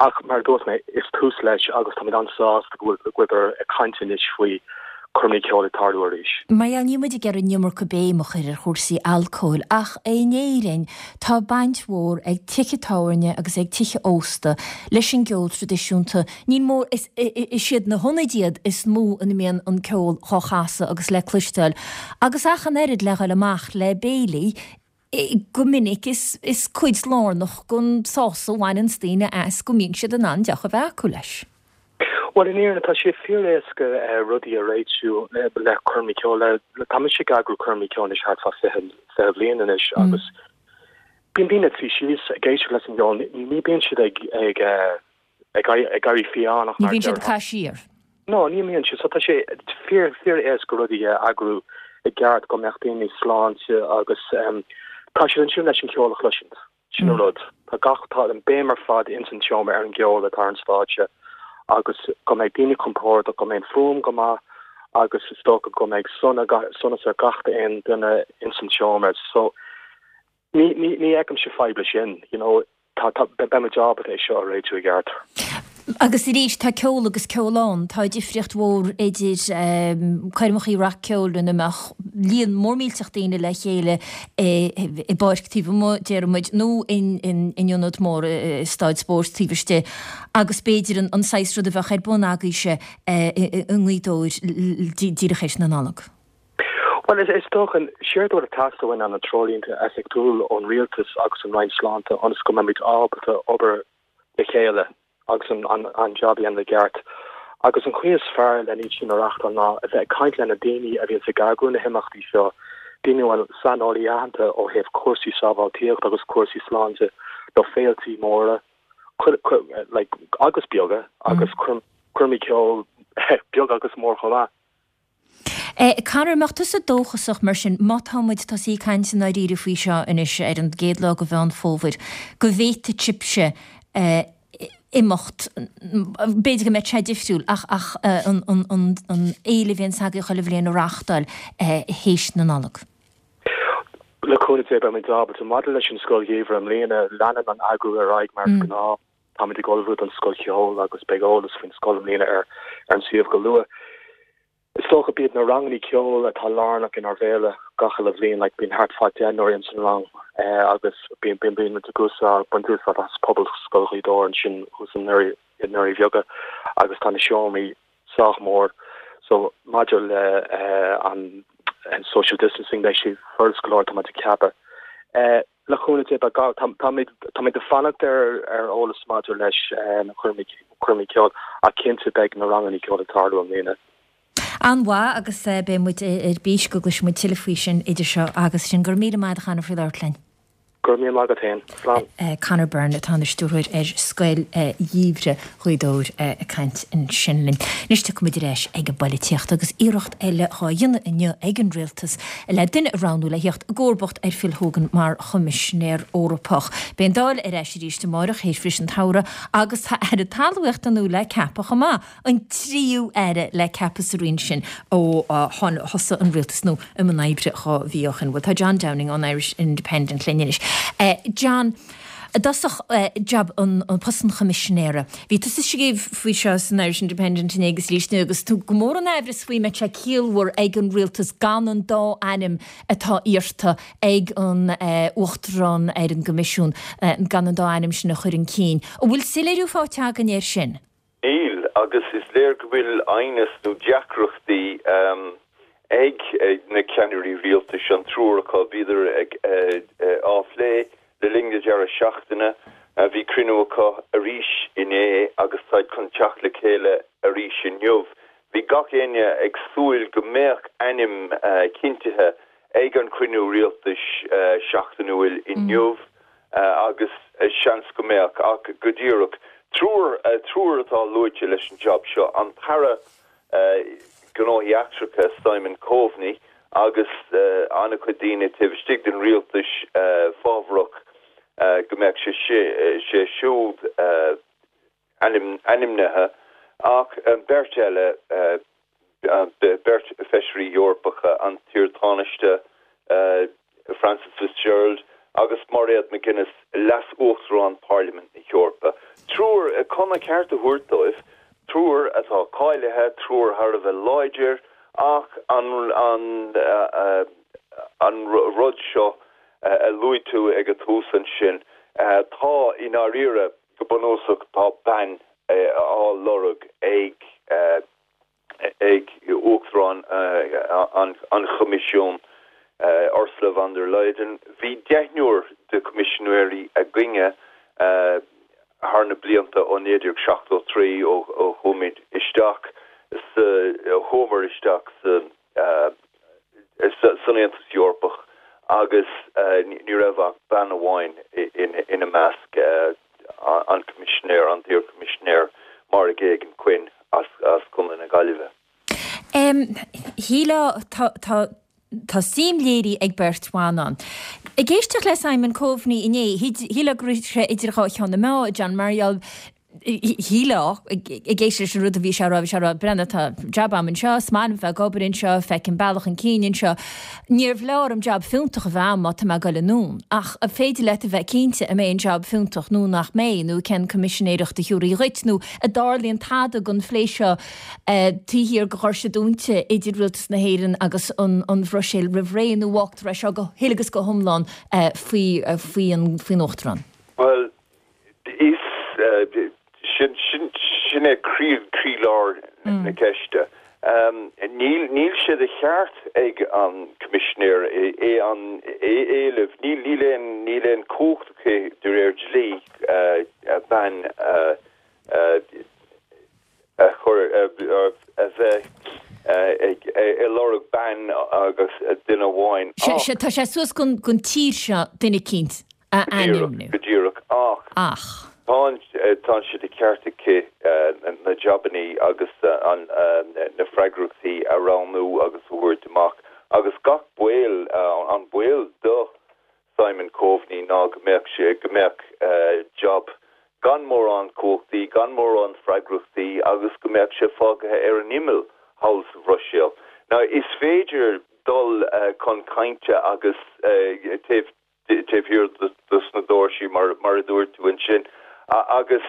Ach mar a dúirt mé, is tús leis agus táimid an-sásta go bhfuil go bhfuiltear ag caint anois faoi coirmeacha ceoil ag tarlú arís. Mar gheall, níl muid ag iarraidh an iomarca béim a chur ar chúrsaí alcóil ach in Éirinn tá baint mhór ag tithe tábhairne agus ag tithe ósta leis an gceol traidisiúnta. Níl mór, is is iad na hionaid iad is mó ina mbíonn an ceol dhá chasadh agus le cloisteáil agus ach an oiread le dhul amach le béilí go minic is is cuid lárnach den sásamh a bhaineanns daoine as go mbíonn siad in ann deoch a bheith acu leis. Bhuel, in fhírinne, tá sé fíor-éasca rudaí a réitiú le coirmí ceoil. Tá mise ag eagrú coirmí ceoil anois thart fá 20 bhliain anois agus bíonn daoine ag suí síos ag éisteacht leis an gceol, ní bíonn siad ag ag ag éirí fiáin ach Ní bhíonn siad ag caitheamh siar. No, ní bhíonn siad. So tá sé fíor fíor-éasca rudaí a eagrú i gceart go mbeadh daoine sláinte agus tá siad ansin leis an cheol a chloisint. Sin an rud. Tá gach, tá an béim ar fad ins an tseomra ar an gceol atá ar an stáitse agus go mbeidh daoine compordach, go mbeidh an fuaim go maith agus is dócha go mbeidh sona, sonas ar gach aon duine ins an tseomra. So, ní, ní, ní fheicimse fadhb leis sin, you know, tá, tá, beidh muid ábalta é seo a réitiú i gceart. Agus arís, tá ceol agus ceol ann. Tá difríocht mhór idir coirmeachaí rac-cheoil ina mbeadh líon mór millteach daoine le chéile i bpáirc taobh amuigh, déarfaidh muid, nó in ionad mór, i staid spóirt taobh istigh, agus b'fhéidir an saghas rud a bheadh ar bun agaibhse i nGaoth Dobhair díreach théis na Nollag. Bhuel, is dócha, séard atá ag teastáil uainn ná na treoirlínte oifigiúil ón Rialtas agus an Roinn Sláinte ionas go mbeimid ábalta obair le chéile agus an jab a dhéanamh i gceart. Agus an chaoi is fearr le iad sin a reachtáil ná a bheith ag caint le na daoine a bhíonns ag eagrú na himeachtaí seo, daoine a bhfuil saineolaí aitheanta ó thaobh cúrsaí sábháilteachta agus cúrsaí sláinte do féiltí móra like agus beaga agus coirmí ceoil beag agus mór chomh maith. Conor, an mbeadh tusa dóchasach mar sin, má tá muid tosaithe ag caint i ndáiríre faoi seo anois ar an gcéad lá de Mheán Fómhair, go bhféadfadh sibhse imeacht, b'fhéidir go mbeadh sé difriúil, ach ach an an fhéile a bhíonns agaibh chuile bhliain a reáchtáil théis na Nollag? Le cúnamh Dé beimid ábalta. Maidir leis an Scoil Gheimhridh i mbliana, leanann an eagrú ar aghaidh mar is gnáth. Táimid ag ullmhú don Scoil Cheoil agus beidh eolas faoin scoil i mbliana ar an suíomh go luath. Is dócha b'iad na rangannaí ceoil atá lárnach inár bhféile gach uile bhliain, like bíonn thart fá deichniúr ins an rang agus bíonn bíonn bíonn muid ag úsáid baint úsáid as Pobalscoil Ghaoth Dobhair ansin thuas i nDoirí i nDoirí Bheaga agus tá na seomraí sách mór so maidir le an social distancing beidh sé furast go leor tá muid ag ceapadh. Le cúnamh Dé, beidh gá, táimid ag fanacht ar eolas maidir leis na coirmí ceoil ach cinnte beidh na ranganna ceoil ag tarlú i mbliana. An-mhaith agus beidh muid ar bís go gcloisfidh muid tuilleadh faoi sin idir seo agus sin. Go raibh míle maith agat a Chonor faoi labhairt linn. Go raibh míle maith agat féin. Slán. Conor Byrne atá ina stiúrthóir ar Scoil Gheimhridh Ghaoth Dobhair ag caint ansin linn. Anois tiocfaidh muid ar ais ag an bpoilitíocht agus iarracht eile dhá dhéanamh inniu ag an Rialtas le duine a roghnú le theacht i gcomharbacht ar Phil Hogan mar Choimisinéir Eorpach. Beidh an Dáil ar ais arís amáireach théis bhriseadh an tsamhraidh agus tá Aire Talmhaíochta nua le ceapadh chomh maith, an tríú Aire le ceapadh sa Roinn sin ó thosaigh an Rialtas nua i mbun oibre 2 mhí ó shin. Bhuel tá John Downing ón Irish Independent linn anois. John. I dtosach, jab an post an Choimisinéara. Bhí tusa ag scríobh faoi seo san Irish Independent inné agus arís inniu agus tú go mór in aimhreas faoi an mbeadh sé ciallmhar ag an rialtas gan an dá ainm atá iarrta ag an Uachtarán ar an gCoimisiún, gan an dá ainm sin a chur chun cinn. An bhfuil soiléiriú faighte againn air sin? Níl, agus is léir go bhfuil aighneas nó deacrachtaí ag na ceannairí rialtais, an triúr acu. Bhíodar ag á phlé le linn na deireadh seachtaine. Bhí cruinniú acu arís inné agus táid chun teacht le chéile arís inniu. Bhí gach éinne ag súil go mbeadh ainm cinntithe ag an chruinniú rialtais seachtainiúil inniu. agus seans go mbeadh, ach go díreach, triúr, triúr atá luaite leis an jab seo, an tAire Gnóthaí Eachtracha Simon Coveney agus an-chuid daoine taobh istigh den rialtas fábharach go mbeadh sé sé siúd ainmnithe, ach beirt eile, beirt Feisirí Eorpacha, an t-iar-Tánaiste Frances Fitzgerald agus Mairéad McGuinness, Leas-Uachtarán Pharlaimint na hEorpa. Triúr, chun a cheart a thabhairt dóibh, triúr atá cáilithe, triúr thar a bheith láidir, ach an an rud seo a luaigh tú ag an tús ansin, tá, i ndáiríre, Go bunúsach tá bean á lorg ag ag Uachtarán an Choimisiúin, Ursula von der Leyen. Bhí deichniúr de Choimisinéirí againne thar na blianta ó 1973 ó chuaigh muid isteach. chur isteach san san Aontas Eorpach agus ní raibh ach bean amháin ina measc, an Coimisinéir, an t-iar-Choimisinéir Máire Geoghegan-Quinn as Contae na Gaillimhe. Shílfeá, tá tá suim léirithe ag beirt bhan ann. Ag éisteacht le Simon Coveney inné, shílfeá go raibh sé idir dhá cheann na meá, John mar gheall, shílfeá, ag éisteacht leis an rud a bhí sé a rá, bhí sé a rá, breathnaigh, tá jab a'm anseo, is maith liom bheith ag obair anseo, feicim bealach chun cinn anseo. Níorbh leor an jab fiúntach a bheith a'm má tá mé ag goil anonn. Ach an féidir leat a bheith cinnte an mbeidh an jab fiúntach nó nach mbeidh, nó cén coimisinéireacht a thiúrfaí dhuit, nó an dtarlaíonn tada den phlé seo taobh thiar de dhoirse dúnta idir Rialtas na hÉireann agus an Bhruiséil roimh ré, nó fágtar é seo go huile agus go hiomlán faoi faoin Uachtarán? Bhuel, is sin sin é croí croílár na ceiste. Níl níl sé de cheart ag an Coimisinéir é an é éileamh, níl níl aon níl aon chumhacht aici de réir dlí bean a a chur a bheith ag lorg bean agus duine amháin ach. Tá sé suas don tír seo duine eicínt a ainmniú. Go díreach, ach tá sé de cheart aici na jabannaí agus na freagrachtaí a roghnú agus a thabhairt amach agus gach baol, an baol do Simon Coveney ná go mbeadh sé, go mbeadh jab gan mórán cumhachtaí, gan mórán freagrachtaí agus go mbeadh sé fágaithe ar an imeall thall sa Bhruiséil. Now is féidir dul chun cainte agus taobh taobh thiar dos na doirsí mar mar a dúirt tú ansin agus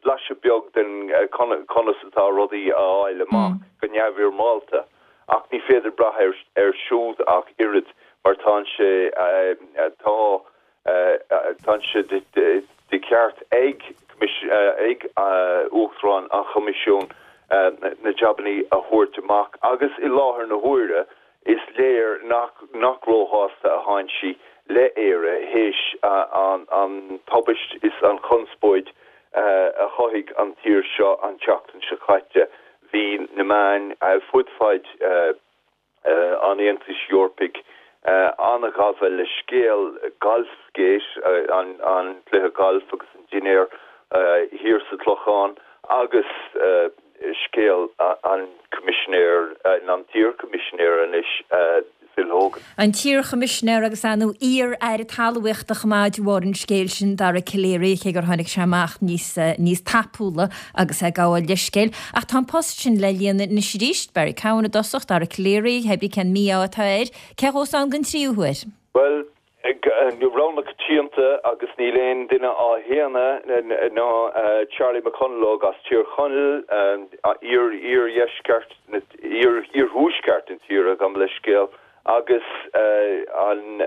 blaiseadh beag den conas atá rudaí a fháil amach go neamhfhoirmeálta. Ach ní féidir brath air siúd ach oiread mar tá sé tá tá sé de cheart ag ag Uachtarán an Choimisiúin na jabannaí a thabhairt amach agus i láthair na huaire is léir nach nach róshásta a thánn sí le Éire théis an an tubaist is an chonspóid a chothaigh an tír seo an tseachtain seo caite. Bhí na meáin fud fad an Aontais Eorpaigh an-ghafa le scéal Golfgate, an cluiche gailf agus an dinnéar thiar sa Chlochán agus scéal an Choimisinéir, an t-iarChoimisinéir anois, Phil Hogan. An t-iarChoimisinéir agus ar ndóigh iar-aire talmhaíochta chomh maith de bharr an scéil sin, Dara Calleary, cé gur tháinig sé amach níos níos tapúla agus é ag gabháil leithscéil. Ach tá an post sin le líonadh anois arís, Barry Cowen i dtosach, Dara Calleary, hé brí cén mí-ádh atá air, cé a ghabhfas ann den tríú huair? Bhuel, Rogha na coitianta agus níl aon duine á shéanadh ná Charlie McConalogue as Tír Chonaill, iar-iardheisceart, iarthuaisceart na tíre, gabh mo leithscéal, agus an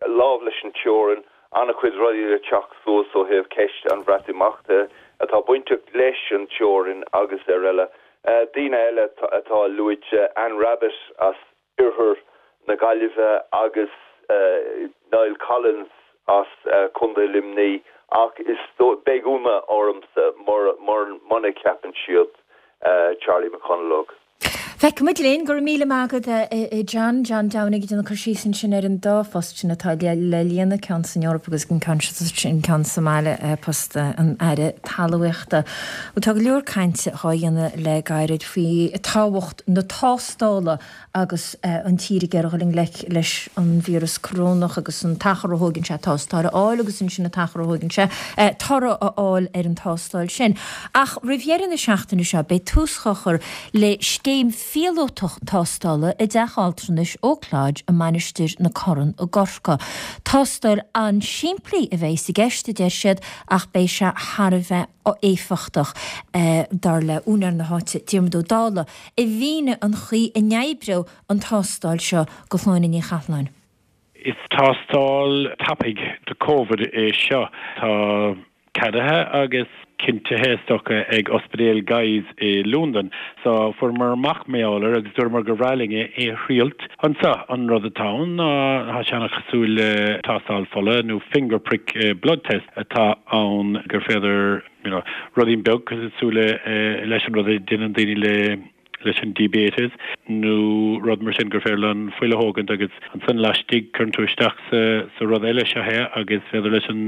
lámh leis an teorainn, an-chuid rudaí le teacht suas ó thaobh ceist an Bhreatimeachta atá bainteach leis an teorainn agus ar eile. Daoine eile atá luaite, Anne Rabbitte as Oirthear na Gaillimhe agus Niall Collins as Contae Luimnigh ach is beidh ionadh ormsa muna gceapann siad Charlie McConalogue. Feicfimid linn. Go raibh míle maith agat a John. John Downing ag déanamh cur síos ansin ar an dá phost sin atá le líonadh, ceann san Eoraip agus an ceann sin ceann sa mbaile, post an Aire Talmhaíochta. Bhuel tá go leor cainte dhá dhéanamh le gairid faoi tábhacht na tástála agus an tír ag iarraidh dul i ngleic leis an víreas corónach agus an t-achar a thóigeann sé tástáil a fháil agus ansin an t-achar a thóigeann sé toradh a fháil ar an tástáil sin. Ach roimh dheireadh na seachtaine seo beidh tús á chur le scéim phíolótach tástála i dteach altranais Oak Lodge i Mainistir na Corann i gCorcaigh. Tástáil an-simplí a bheas i gceist, a deir siad, ach beidh sé thar a bheith éifeachtach, dar le úinéir na háite, Diarmuid Ó Dálaigh. a mhínigh an chaoi a n-oibreodh an tástáil seo do Shláine Ní Chathalláin. Is tástáil tapaidh do Covid é seo. Tá ceadaithe agus cinntithe is dócha ag Ospidéal Guy's i Londain. So fuaireamar amach mar gheall air agus dúramar gur bhreá linn é a thriailt anseo. An rud atá ann ná tá sé an-chosúil le tástáil fola nó finger prick blood test atá ann gur féidir you know, ruidín beag cosúil leis an rud a déanann daoine le. leis an diabetes nó rud mar sin gur féidir leo an fuil a thógaint agus ansan laistigh cuireann tú isteach sa sa rud eile seo é agus féidir leis an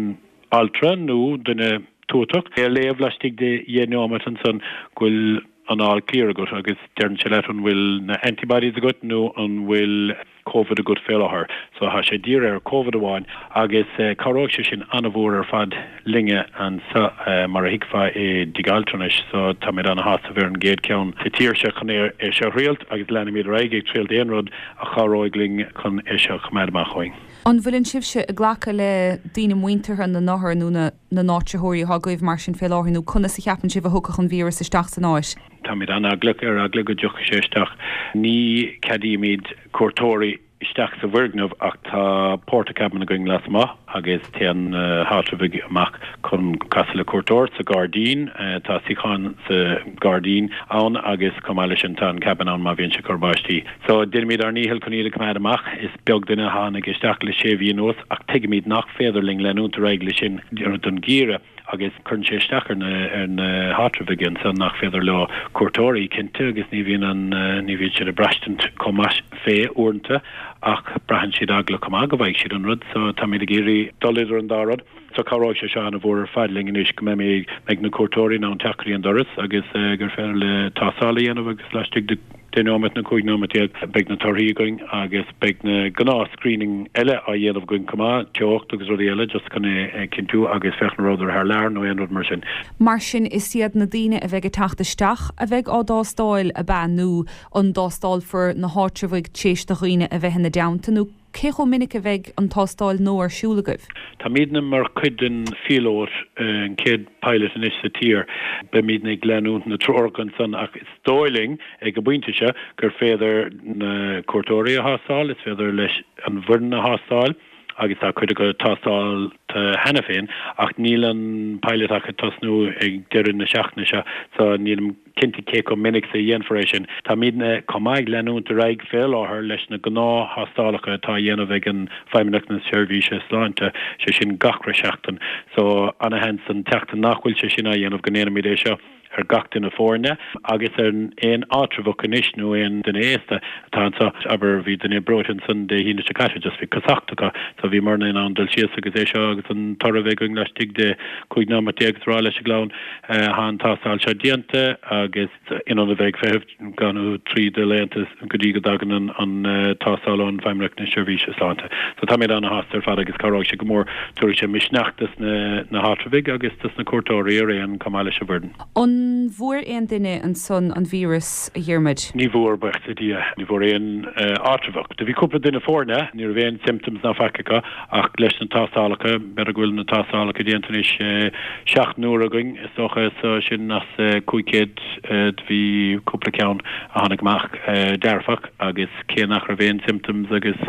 altra nó duine tuatach é a léamh laistigh de dheich neomat ansan go bhfuil an all clear agat agus deireann sé leat an bhfuil na antibodies agat nó an bhfuil Covid agat fé láthair. So tá sé dírithe ar Covid amháin agus cabhróidh sé sin an-mhór ar fad linne anso mar a thuigfeá i dtigh altranais. So táimid ana-shásta bheith ar an gcéad cheann sa tír seo chun é seo a thriailt agus leanfaimid ar aghaidh ag triailt aon rud a chabhróidh linn chun é seo a choimeád amach uainn. An bhfuileann sibhse ag glacadh le daoine muinteartha na n-othar nó na n-áitritheoirí atá agaibh mar sin fé láthair nó conas a cheapann sibh a thiocfadh an víreas isteach san áit? Táimid an-eaglach, ar eagla go dtiocfaidh sé isteach. Ní ceadaímid cuairteoirí isteach sa bhfoirgneamh ach tá portacabin againn lasmuigh agus téann na háitreabhaigh amach chun casadh le cuairteoir sa ghairdín. Tá suíocháin sa ghairdín ann agus chomh maith leis sin tá an cabin ann má bhíonn sé ag cur báistí. So déanaimid ár ndícheall chun iad a choimeád amach. Is beag duine a tháinig isteach le sé mhí anuas ach tuigimid nach féidir linn leanúint ar aghaidh leis sin don gheimhreadh. agus cuireann sé isteach ar na ar na háitreabhaigh ansan nach féidir leo cuairteoirí, cinnte, agus ní bhíonn an ní bhíonn siad ag braistint chomh maith fé uaireanta ach braitheann siad eagla chomh maith go bhfaighidh siad an rud so táimid ag iarraidh dul idir an dá rud. So cabhróidh sé seo ana-mhór ar fad linn anois go mbeimid mbeidh na cuairteoirí in ann teacht go dtí an doras agus gur féidir le tástáil a dhéanamh agus laistigh de 10 nóiméad nó 15 nóiméad beidh na torthaí againn agus beidh na gnáth screening eile á dhéanamh againn chomh maith, teocht agus rudaí eile just chun é a chinntiú agus féachaint an rabhadar thar lear nó aon rud mar sin. Mar sin is iad na daoine a bheidh ag teacht isteach a bheidh á dtástáil, ab ea, nó an dtástálfar na háitreabhaigh tar éis do dhaoine a bheith ina dteannta nó cé chomh minic a bheidh an tástáil nua ar siúl agaibh? Táimidne mar chuid den phíolót, an chéad pilot anois sa tír. Beimidne ag leanúint na treorach ansan ach is dóigh linn ag an bpointe seo gur féidir na cuairteoirí a thástáil, is féidir leis an bhfoireann a thástáil agus tá cuid acu tástáilte cheana féin ach níl an pilot ach ag tosnú ag deireadh na seachtaine seo so nílim cinnte cé chomh minic is a dhéanfar é sin. Táimidne chomh maith ag leanúint ar aghaidh fé láthair leis na gnáth-thástálacha atá á dhéanamh ag an Feidhmeannacht na Seirbhíse Sláinte, sé sin gach re seachtain. So ana-sheans an tseachtain nach bhfuil sé sin á dhéanamh go ndéanfaimid é seo. ar gach duine foirne agus ar aon áitreabhach anois nó aon duine aosta atá anseo. Abair, bhí duine breoite ansan Dé hAoine seo caite, just bhí cosacht acu so bhíomarna in ann dul síos agus é seo agus an toradh a bheith againn laistigh de 15 nóiméad agus rá leis an gclann tá an tástáil seo déanta agus in ionad a bheith ag feitheamh dhá nó trí de laethanta go dtí go dtagann an tástáil ón Feidhmeannacht na Seirbhíse Sláinte. So táimid ana-shásta ar fad agus cabhróidh sé go mór, tabharfaidh sé misneach dos na háitreabhaigh agus dos na cuairteoirí araon chomh maith leis an bhfoireann. An bhfuair aon duine ansan an víreas, a Dhiarmuid? Ní bhfuair, buíochas le Dia. Ní bhfuair aon áitreabhach. Do bhí cúpla duine foirne, ní raibh aon symptoms ná faic acu ach leis na tástálacha, b'fhéidir go bhfuil na tástálacha déanta anois seacht n-uair againn is dócha, so sin as 500, Do bhí cúpla ceann a tháinig amach dearfach agus cé nach raibh aon symptoms agus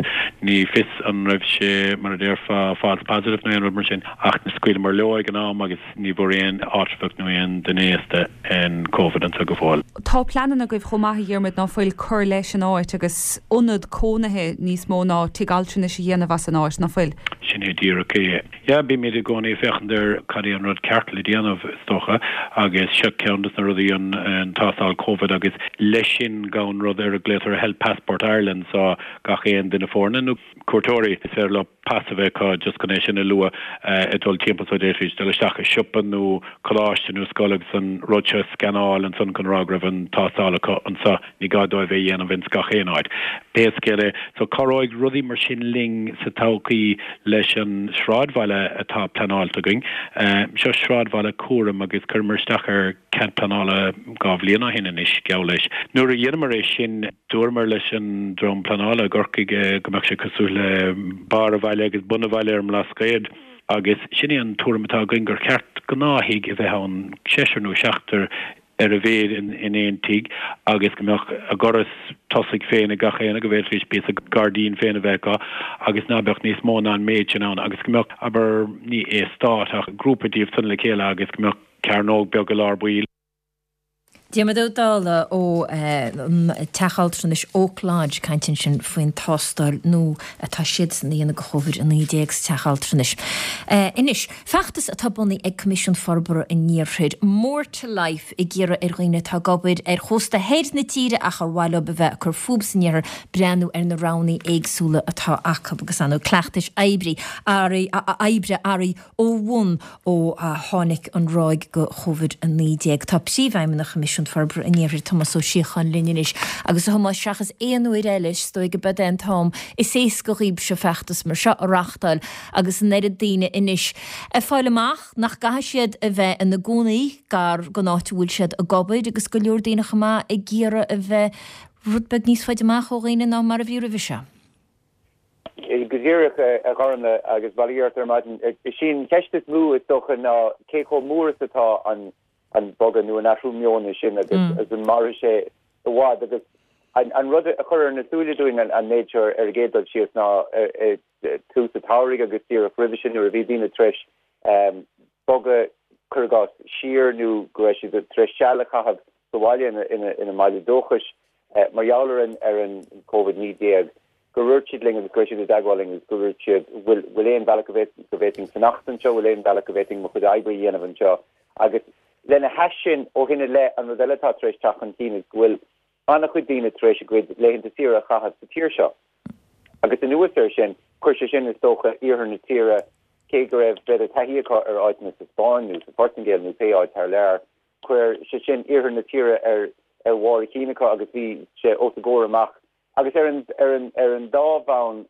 ní fios an raibh sé mar a déarfá false positive nó aon rud mar sin ach scaoileamar leo ag an am agus ní bhfuair aon áitreabhach nó aon duine aosta an Covid anseo go fóill. Tá pleananna agaibh chomh maith a Dhiarmuid ná fuil cur leis an áit agus ionad cónaithe níos mó ná tigh altranais a dhéanamh as an áit, ná fuil? Sin é díreach é. Yeah, bímid i gcónaí ag féachaint ar cad é an rud ceart le déanamh, is dócha, agus seo ceann des na rudaí, an tástáil Covid, agus leis sin gabhann rud ar a glaotar Health Passport Ireland, so gach aon duine foirne nó cuairteoirí, is féidir leo pas a bheith acu just chun é sin a lua ag dul timpeall so d'fhéadfaidís dul isteach i siopa nó coláiste nó scoil agus an rud seo a scannáil ansan chun rá go raibh an tástáil acu anseo. Ní gá dóibh é a dhéanamh ins gach aon áit. Pé scéal é, so cabhróidh rudaí mar sin linn sa todhchaí leis an sráidbhaile atá pleanáilte againn. Seo sráidbhaile cúraim agus chuireamar isteach ar cead pleanála 2 bhliain ó shin anois, geall leis. Nuair a dheineamar é sin, dúramar leis an dream pleanála i gCorcaigh go mbeadh sé cosúil le barr an bhaile agus bun an bhaile ar an mBlascaod agus sin é an tuairim atá againn gur cheart gnáth-thigh a bheith ann, seisear nó seachtar, ar a mhéad in aon tigh agus go mbeadh a dhoras tosaigh féin ag gach aon, go bhféadfaidís píosa gairdín féin a bheith acu agus ná beadh níos mó ná an méid sin ann agus go mbeadh, abair, ní eastát ach grúpa díobh san le chéile agus go mbeadh cearnóg beag i lár baill. Diarmuid Ó Dálaigh ó an Teach Altranais Oak Lodge ag caint ansin faoin tástáil nua atá siadsan a dhéanamh do Chóvid-19 sa Teach Altranais. Anois, feachtas atá bunaithe ag Coimisiún Forbartha an Iarthair, More to Life, ag iarraidh ar dhaoine atá ag obair ar chósta thoir na tíre ach ar mhaith leo a bheith ag cur fúthu san iarthar breathnú ar na roghanna éagsúla atá acu agus ar ndóigh cleachtais oibre athraithe ó bhun ó tháinig an ráig de Chóvid-19. Tá Príomhfheidhmeannach Choimisiún Forbartha an Iarthair, Tomás Ó Síocháin linn anois. Agus a Thomáis, seachas aon uair eile, is dóigh gurb é an t-am is éasca dhaoibhse feachtas mar seo a reachtáil agus an oiread daoine anois ag fáil amach nach gcaithfidh siad a bheith ina gcónaí gar don áit a bhfuil siad ag obair agus go leor daoine chomh maith ag iarraidh a bheith rud beag níos faide amach ó dhaoine ná mar a bhí roimhe seo. Go díreach, a Ghormfhlaith, agus bail ó Dhia ort ar maidin. Is í an cheist is mó, is dócha, ná cé chomh mór is atá an bogadh nó an athrú meoin sin agus an mairfidh sé i bhfad. Agus an rud a chuir ar na súile dúinn an méid seo ar an gcéad dul síos ná i dtús an tsamhraidh agus díreach roimhe sin nuair a bhí daoine tar éis bogadh, cuir i gcás, siar nó go raibh siad tar éis seal a chaitheamh sa bhaile ina mbaile dúchais mar gheall ar an ar an Covid-19, gur dhúirt siad linn agus go raibh siad i dteagmháil linn agus gur dhúirt siad bhfuil bhfuil aon bhealach go go bhféadfainn fanacht anseo, bhfuil aon bhealach go bhféadfainn mo chuid oibre a dhéanamh anseo. Agus lena hais sin, ó shin i leith, an rud eile atá tar éis teacht chun cinn is go bhfuil an-chuid daoine tar éis a gcuid laethanta saoire a chaitheamh sa tír seo. Agus anuas air sin, chuir sé sin, is dócha, iarthar na tíre, cé go raibh, b'fhéidir, taithí acu ar áiteanna sa Spáinn nó sa Phortaingéil nó pé áit thar lear, chuir sé sin iarthar na tíre ar ar bharr a chinn acu agus bhí sé os a gcomhair amach. Agus ar an ar an ar an dá bhonn,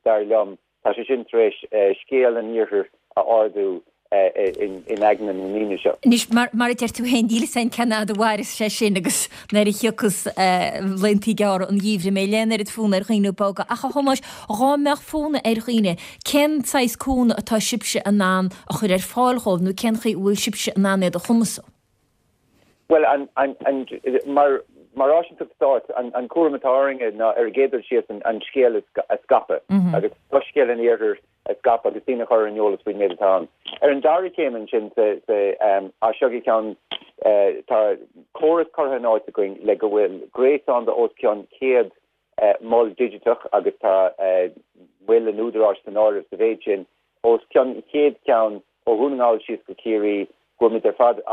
dar liom, tá sé sin tar éis scéal an iarthair a ardú in aigne na ndaoine seo. Anois, mar mar a deir tú féin, níl 'fhios a'inn cén fhad a mhairfeas sé sin agus nuair a thiocfas laethanta gearra an gheimhridh, an mbeidh aon oiread fonn ar dhaoine bogadh. Ach a Thomáis, dhá mbeadh fonn ar dhaoine, cén saghas cúnamh atá sibhse in ann a chur ar fáil dhóibh nó cén chaoi a bhfuil sibhse in ann iad a chumasú? Bhuel, an, an, an, mar, mar áisínteacht stáit, an, an cúram atá orainne ná ar an gcéad dul síos an, an scéal a scaipeadh agus soiscéal an Iarthair a scaipeadh agus daoine a chur ar an eolas faoin méid atá ann. Ar an dara céim ansin, sa, sa, as seo go ceann, tá córas curtha in áit againn le go bhfuil gréasán de os cionn 100 mol digiteach agus tá moil an Údaráis san áireamh sa mhéid sin, os cionn 100 ceann ó Dhún na nGall síos go Ciarraí, go bhfuil muid ar fad á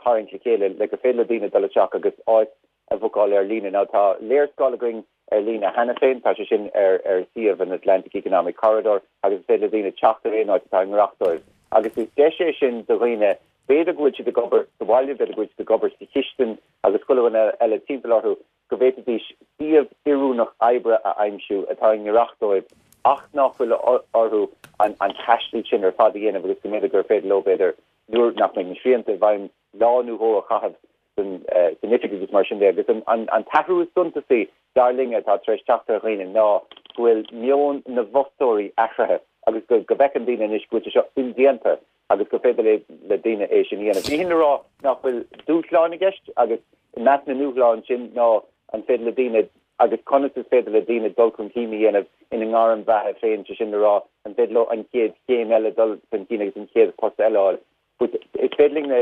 tharraingt le chéile le gur féidir le daoine dul isteach agus áit a bhookáil ar líne. Now tá léarscáil againn ar líne cheana féin, tá sé sin ar ar suíomh an Atlantic Economic Corridor agus is féidir le daoine teacht ar aon áit atá i ngiorracht dóibh. Agus is deis é sin do dhaoine, b'fhéidir go bhfuil siad ag obair sa bhaile, b'fhéidir go bhfuil siad ag obair sa chistin agus chuile dhuine eile timpeall orthu, go bhféadfaidís suíomh oiriúnach oibre a aimsiú atá i ngiorracht dóibh ach nach bhfuil orthu an taisteal sin ar fad a dhéanamh agus go mb'fhéidir gur féidir leo, b'fhéidir, nuair nach mbeidh na srianta i bhfeidhm, lá nó dhó a chaitheamh san oifig agus mar sin de. Agus an t-athrú is suntasaí, dar linne, atá tar éis teacht ar dhaoine ná go bhfuil meon na bhfostóirí athraithe agus go bhfeiceann daoine anois go bhfuil sé seo indéanta agus gur féidir le daoine é sin a dhéanamh. Ní hin le rá nach bhfuil dúshláin i gceist agus i measc na ndúshlán sin ná an féidir le daoine agus conas is féidir le daoine dul chun cinn a dhéanamh ina ngairm bheatha féin, sé sin le rá an féidir leo an chéad chéim eile dul chun cinn agus an chéad post eile a fháil. But is féidir linn na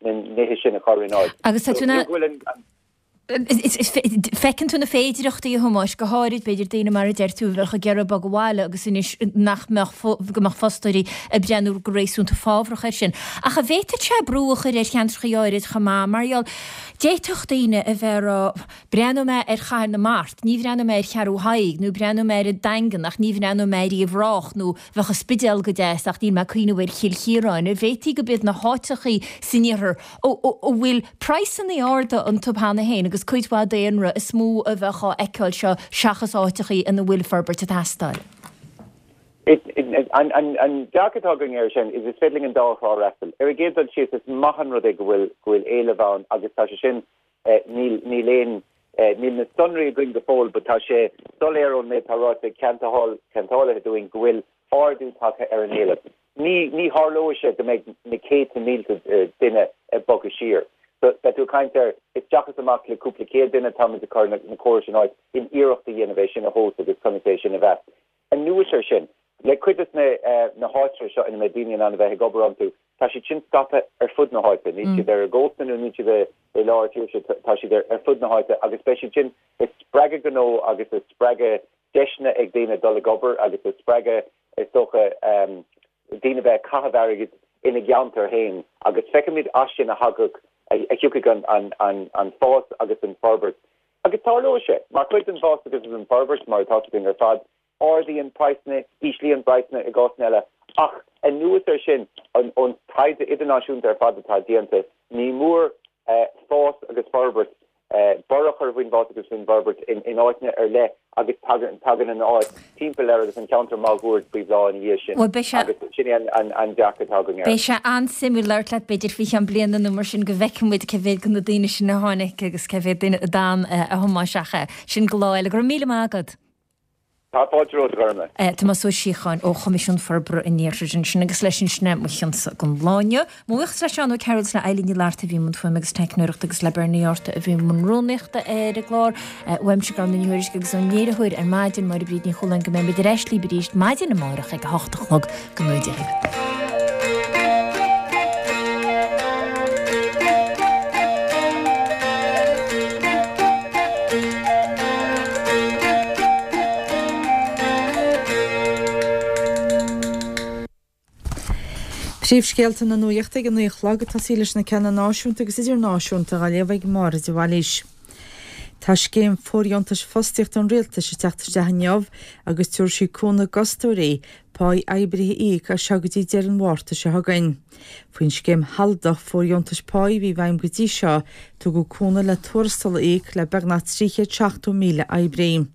nithe sin a chur in áit. Agus tá tú in ann. Feiceann tú na féidireachtaí, a Thomáis, go háirid, b'fhéidir, daoine mar a deir tú, a bheadh ag iarraidh bogadh abhaile agus anois nach mbeadh, go mbeadh fostóirí ag breathnú go réasúnta fábhrach air sin. Ach an bhféadfadh sé brú a chur ar cheantracha áirid chomh maith, mar gheall, d'fhéadfadh daoine a bheith ag rá, breathnóidh mé ar Chathair na Mart, ní bhreathnóidh mé ar Cheathrú Thaidhg, nó breathnóidh mé ar an Daingean ach ní bhreathnóidh mé ar Uíbh Ráthach, nó bheadh an Spidéal go deas ach níl mé ag cuimhneamh ar Chill Chiaráin. An bhféadfaí go b'iad na háiteachaí san iarthar a bhfuil praghsanna arda iontu cheana féin agus cuid mhaith daonra is mó a bheadh á fheiceáil seo seachas áiteachaí ina bhfuil forbairt ag teastáil. An dearcadh atá againn air sin is is féidir linn an dá thrá a fhreastal. Ar an gcéad dul síos, is maith an rud é go bhfuil go bhfuil éileamh ann agus tá sé sin níl níl aon níl na sonraí againn go fóill but tá sé soiléir ón méid atá ráite ag ceantálaithe dúinn go bhfuil ardú tagtha ar an éileamh. Ní, ní tharlóidh sé go mbeidh na céadta mílte duine ag bogadh siar. So, beidh tú ag caint ar isteach is amach le cúpla céad duine, táimid ag cur na córais in áit in iarracht a dhéanamh é sin a thomhas agus conas é sin a mheas. Anuas air sin, le cuid de na, na háitreabh seo ina mbeidh daoine in ann a bheith ag obair iontu, Tá siad sin scaipthe ar fud na háite. Níl siad ar an gcósta nó níl siad i lár tíre, tá siad ar fud na háite agus beidh siad sin ag spreagadh gnó agus ag spreagadh deiseanna ag daoine dul ag obair agus ag spreagadh, is dócha, daoine bheith ag caitheamh airgid ina gceantar féin agus feicfimid as sin a thagadh, a thiocfaidh an fás agus an forbairt. Agus tarlóidh sé, mar chuid den bhfás agus den bhforbairt, mar atá againn ar fad, ardaíonn praghsanna, íslíonn praghsanna i gcásanna eile, ach anuas air sin, ón taighde idirnáisiúnta ar fad atá déanta, ní mór fás agus forbairt borradh a chur faoin bhfás agus faoin bhforbairt in áiteanna ar leith agus tagann an áit timpeall air agus an ceantar máguaird faoi bhláth ina dhiaidh sin agus sin é an dearcadh atá againn air. Beidh sé an-suimiúil labhairt leat b'fhéidir faoi cheann bliana nó mar sin go bhfeicfidh muid cé mhéad de na daoine sin a tháinig agus cé mhéad duine a d'fhan a thiomáin ach sin go lá eile. Go raibh míle maith agat. Tá fáilte romhat, a Ghormlaith. Tomás Ó Síocháin ó Choimisiún Forbartha an Iarthair ansin agus leis sin sin é mo chionsa don lá inniu. Mo bhuíochas le Seán Ó Cearúil is le Eilín Ní Fhlatharta a bhí i mbun fuaime agus teicneoireachta agus le Bernie Arthur a bhí i mbun rúnaíochta ar an gclár. Uaimse Gormlaith Ní Thuairisg agus ón léiritheoir ar maidin, Máire Bríd Ní Chualáin go mbeimid ar ais libh arís maidin amárach ag a hocht a chlog. Go ngnóthaí Dia dhaoibh. Príomhscéalta na nuachta ag a 9 a chlog, ag tosaí leis na ceanna náisiúnta agus idirnáisiúnta á léamh ag Máire de Bhailís. Tá scéim fóirdheontais fostaíochta an Rialtais ag teacht isteach inniu agus tabharfaidh sí cúnamh d'fhostóirí páí oibrithe a íoc as seo go dtí deireadh an Mhárta seo chugainn. Faoin scéim shealadach fóirdheontais páí a bhí i bhfeidhm go dtí seo, tugadh cúnamh le tuarastal a íoc le beagnach 370,000 oibrí.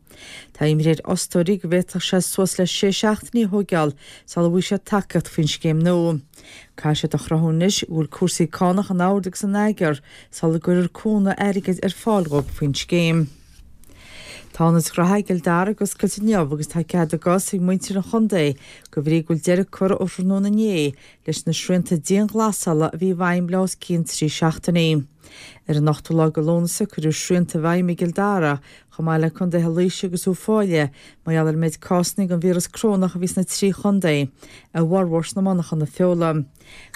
Tá imní ar fhostóirí go bhféadfadh sé suas le sé seachtainí a thóigeáil sula bhfaighidh siad tacaíocht faoin scéim nua. Caithfidh siad a chruthú anois go bhfuil cúrsaí cánach in ord agus in eagar sula gcuirfear cúnamh airgid ar fáil dhóibh faoin scéim. Tá Ionad Ghnóthaí i gCill Dara ag oscailt inniu agus tá cead a gcos ag muintir an chontae de bhrí go bhfuil deireadh curtha ó thráthnóna inné leis na srianta dianghlasála a bhí i bhfeidhm le os cionn 3 seachtainí. Ar an ochtú lá de Lúnasa cuireadh srianta i bhfeidhm i gCill Dara chomh maith le contaetha Laoise agus Uíbh Fhailí mar gheall ar an méid cásanna den víreas corónach a bhí sna 3 chontae, a bhformhór sna monarchana feola.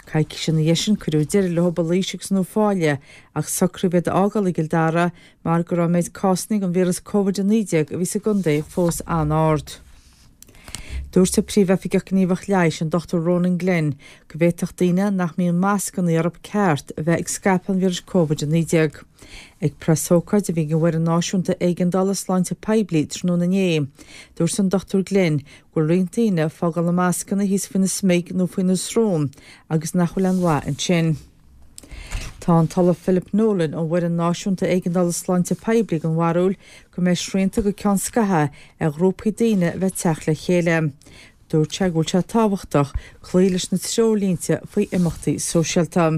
Coicís ina dhiaidh sin cuireadh deireadh leo i Laois agus in Uíbh Fhailí ach socraíodh iad a fhágáil i gCill Dara mar go raibh an méid cásanna den víreas Covid-19 a bhí sa gcontae fós an-ard. Dúirt an Príomhoifigeach Gníomhach Leighis, an Dr Ronan Glynn, go bhféadfadh daoine nach mbíonn mascanna orthu ceart a bheith ag scaipeadh an víris Covid-19. Ag preasócáid a bhí ag an bhFoireann Náisiúnta Éigeandála Sláinte Poiblí tráthnóna inné, dúirt an Dr Glynn go bhfuil roinnt daoine ag fágáil na mascanna thíos faoina smig nó faoina srón agus nach bhfuil aon mhaith ansin. Tá an tOllamh Philip Nolan ón bhFoireann Náisiúnta Éigeandála Sláinte Poiblí den bharúil go mbeidh srianta go ceann scaithimh ar ghrúpaí daoine a bheith ag teacht le chéile. Dúirt sé go bhfuil sé tábhachtach cloí leis na treoirlínte faoi imeachtaí sóisialta.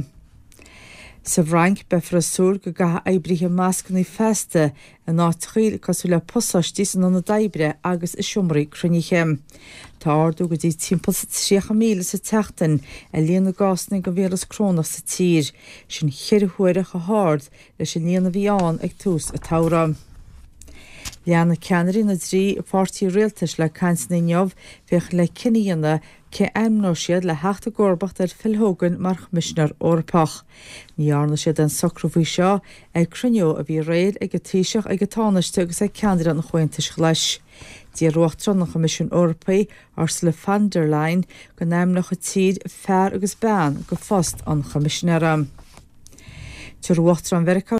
Sa bhFrainc, beifear ag súil go gcaithfidh oibrithe mascanna feasta in áiteachaí cosúil le pasáistí san ionad oibre agus i seomraí cruinnithe. Tá ardú go dtí timpeall 30,000 sa tseachtain ar líon na gcásanna den víreas corónach sa tír, sin cheithre huaire chomh hard leis an líon a bhí ann ag tús an tsamhraidh. Leanfaidh ceannairí na dtrí pháirtí rialtais le cainteanna inniu féachaint le cinneadh a dhéanamh Cé a ainmneoidh siad le theacht i gcomharbacht ar Phil Hogan mar Choimisinéir Eorpach? Ní dhearna siad aon socrú faoi seo ag cruinniú a bhí aréir ag an Taoiseach, ag an Tánaiste agus ag ceannaire an Chomhaontais Ghlais. D'iarr Uachtarán an Choimisiúin Eorpaigh, Ursula von der Leyen, go n-ainmneodh an tír fear agus bean go phost an Choimisinéara. Tabharfaidh Uachtarán Mheiriceá.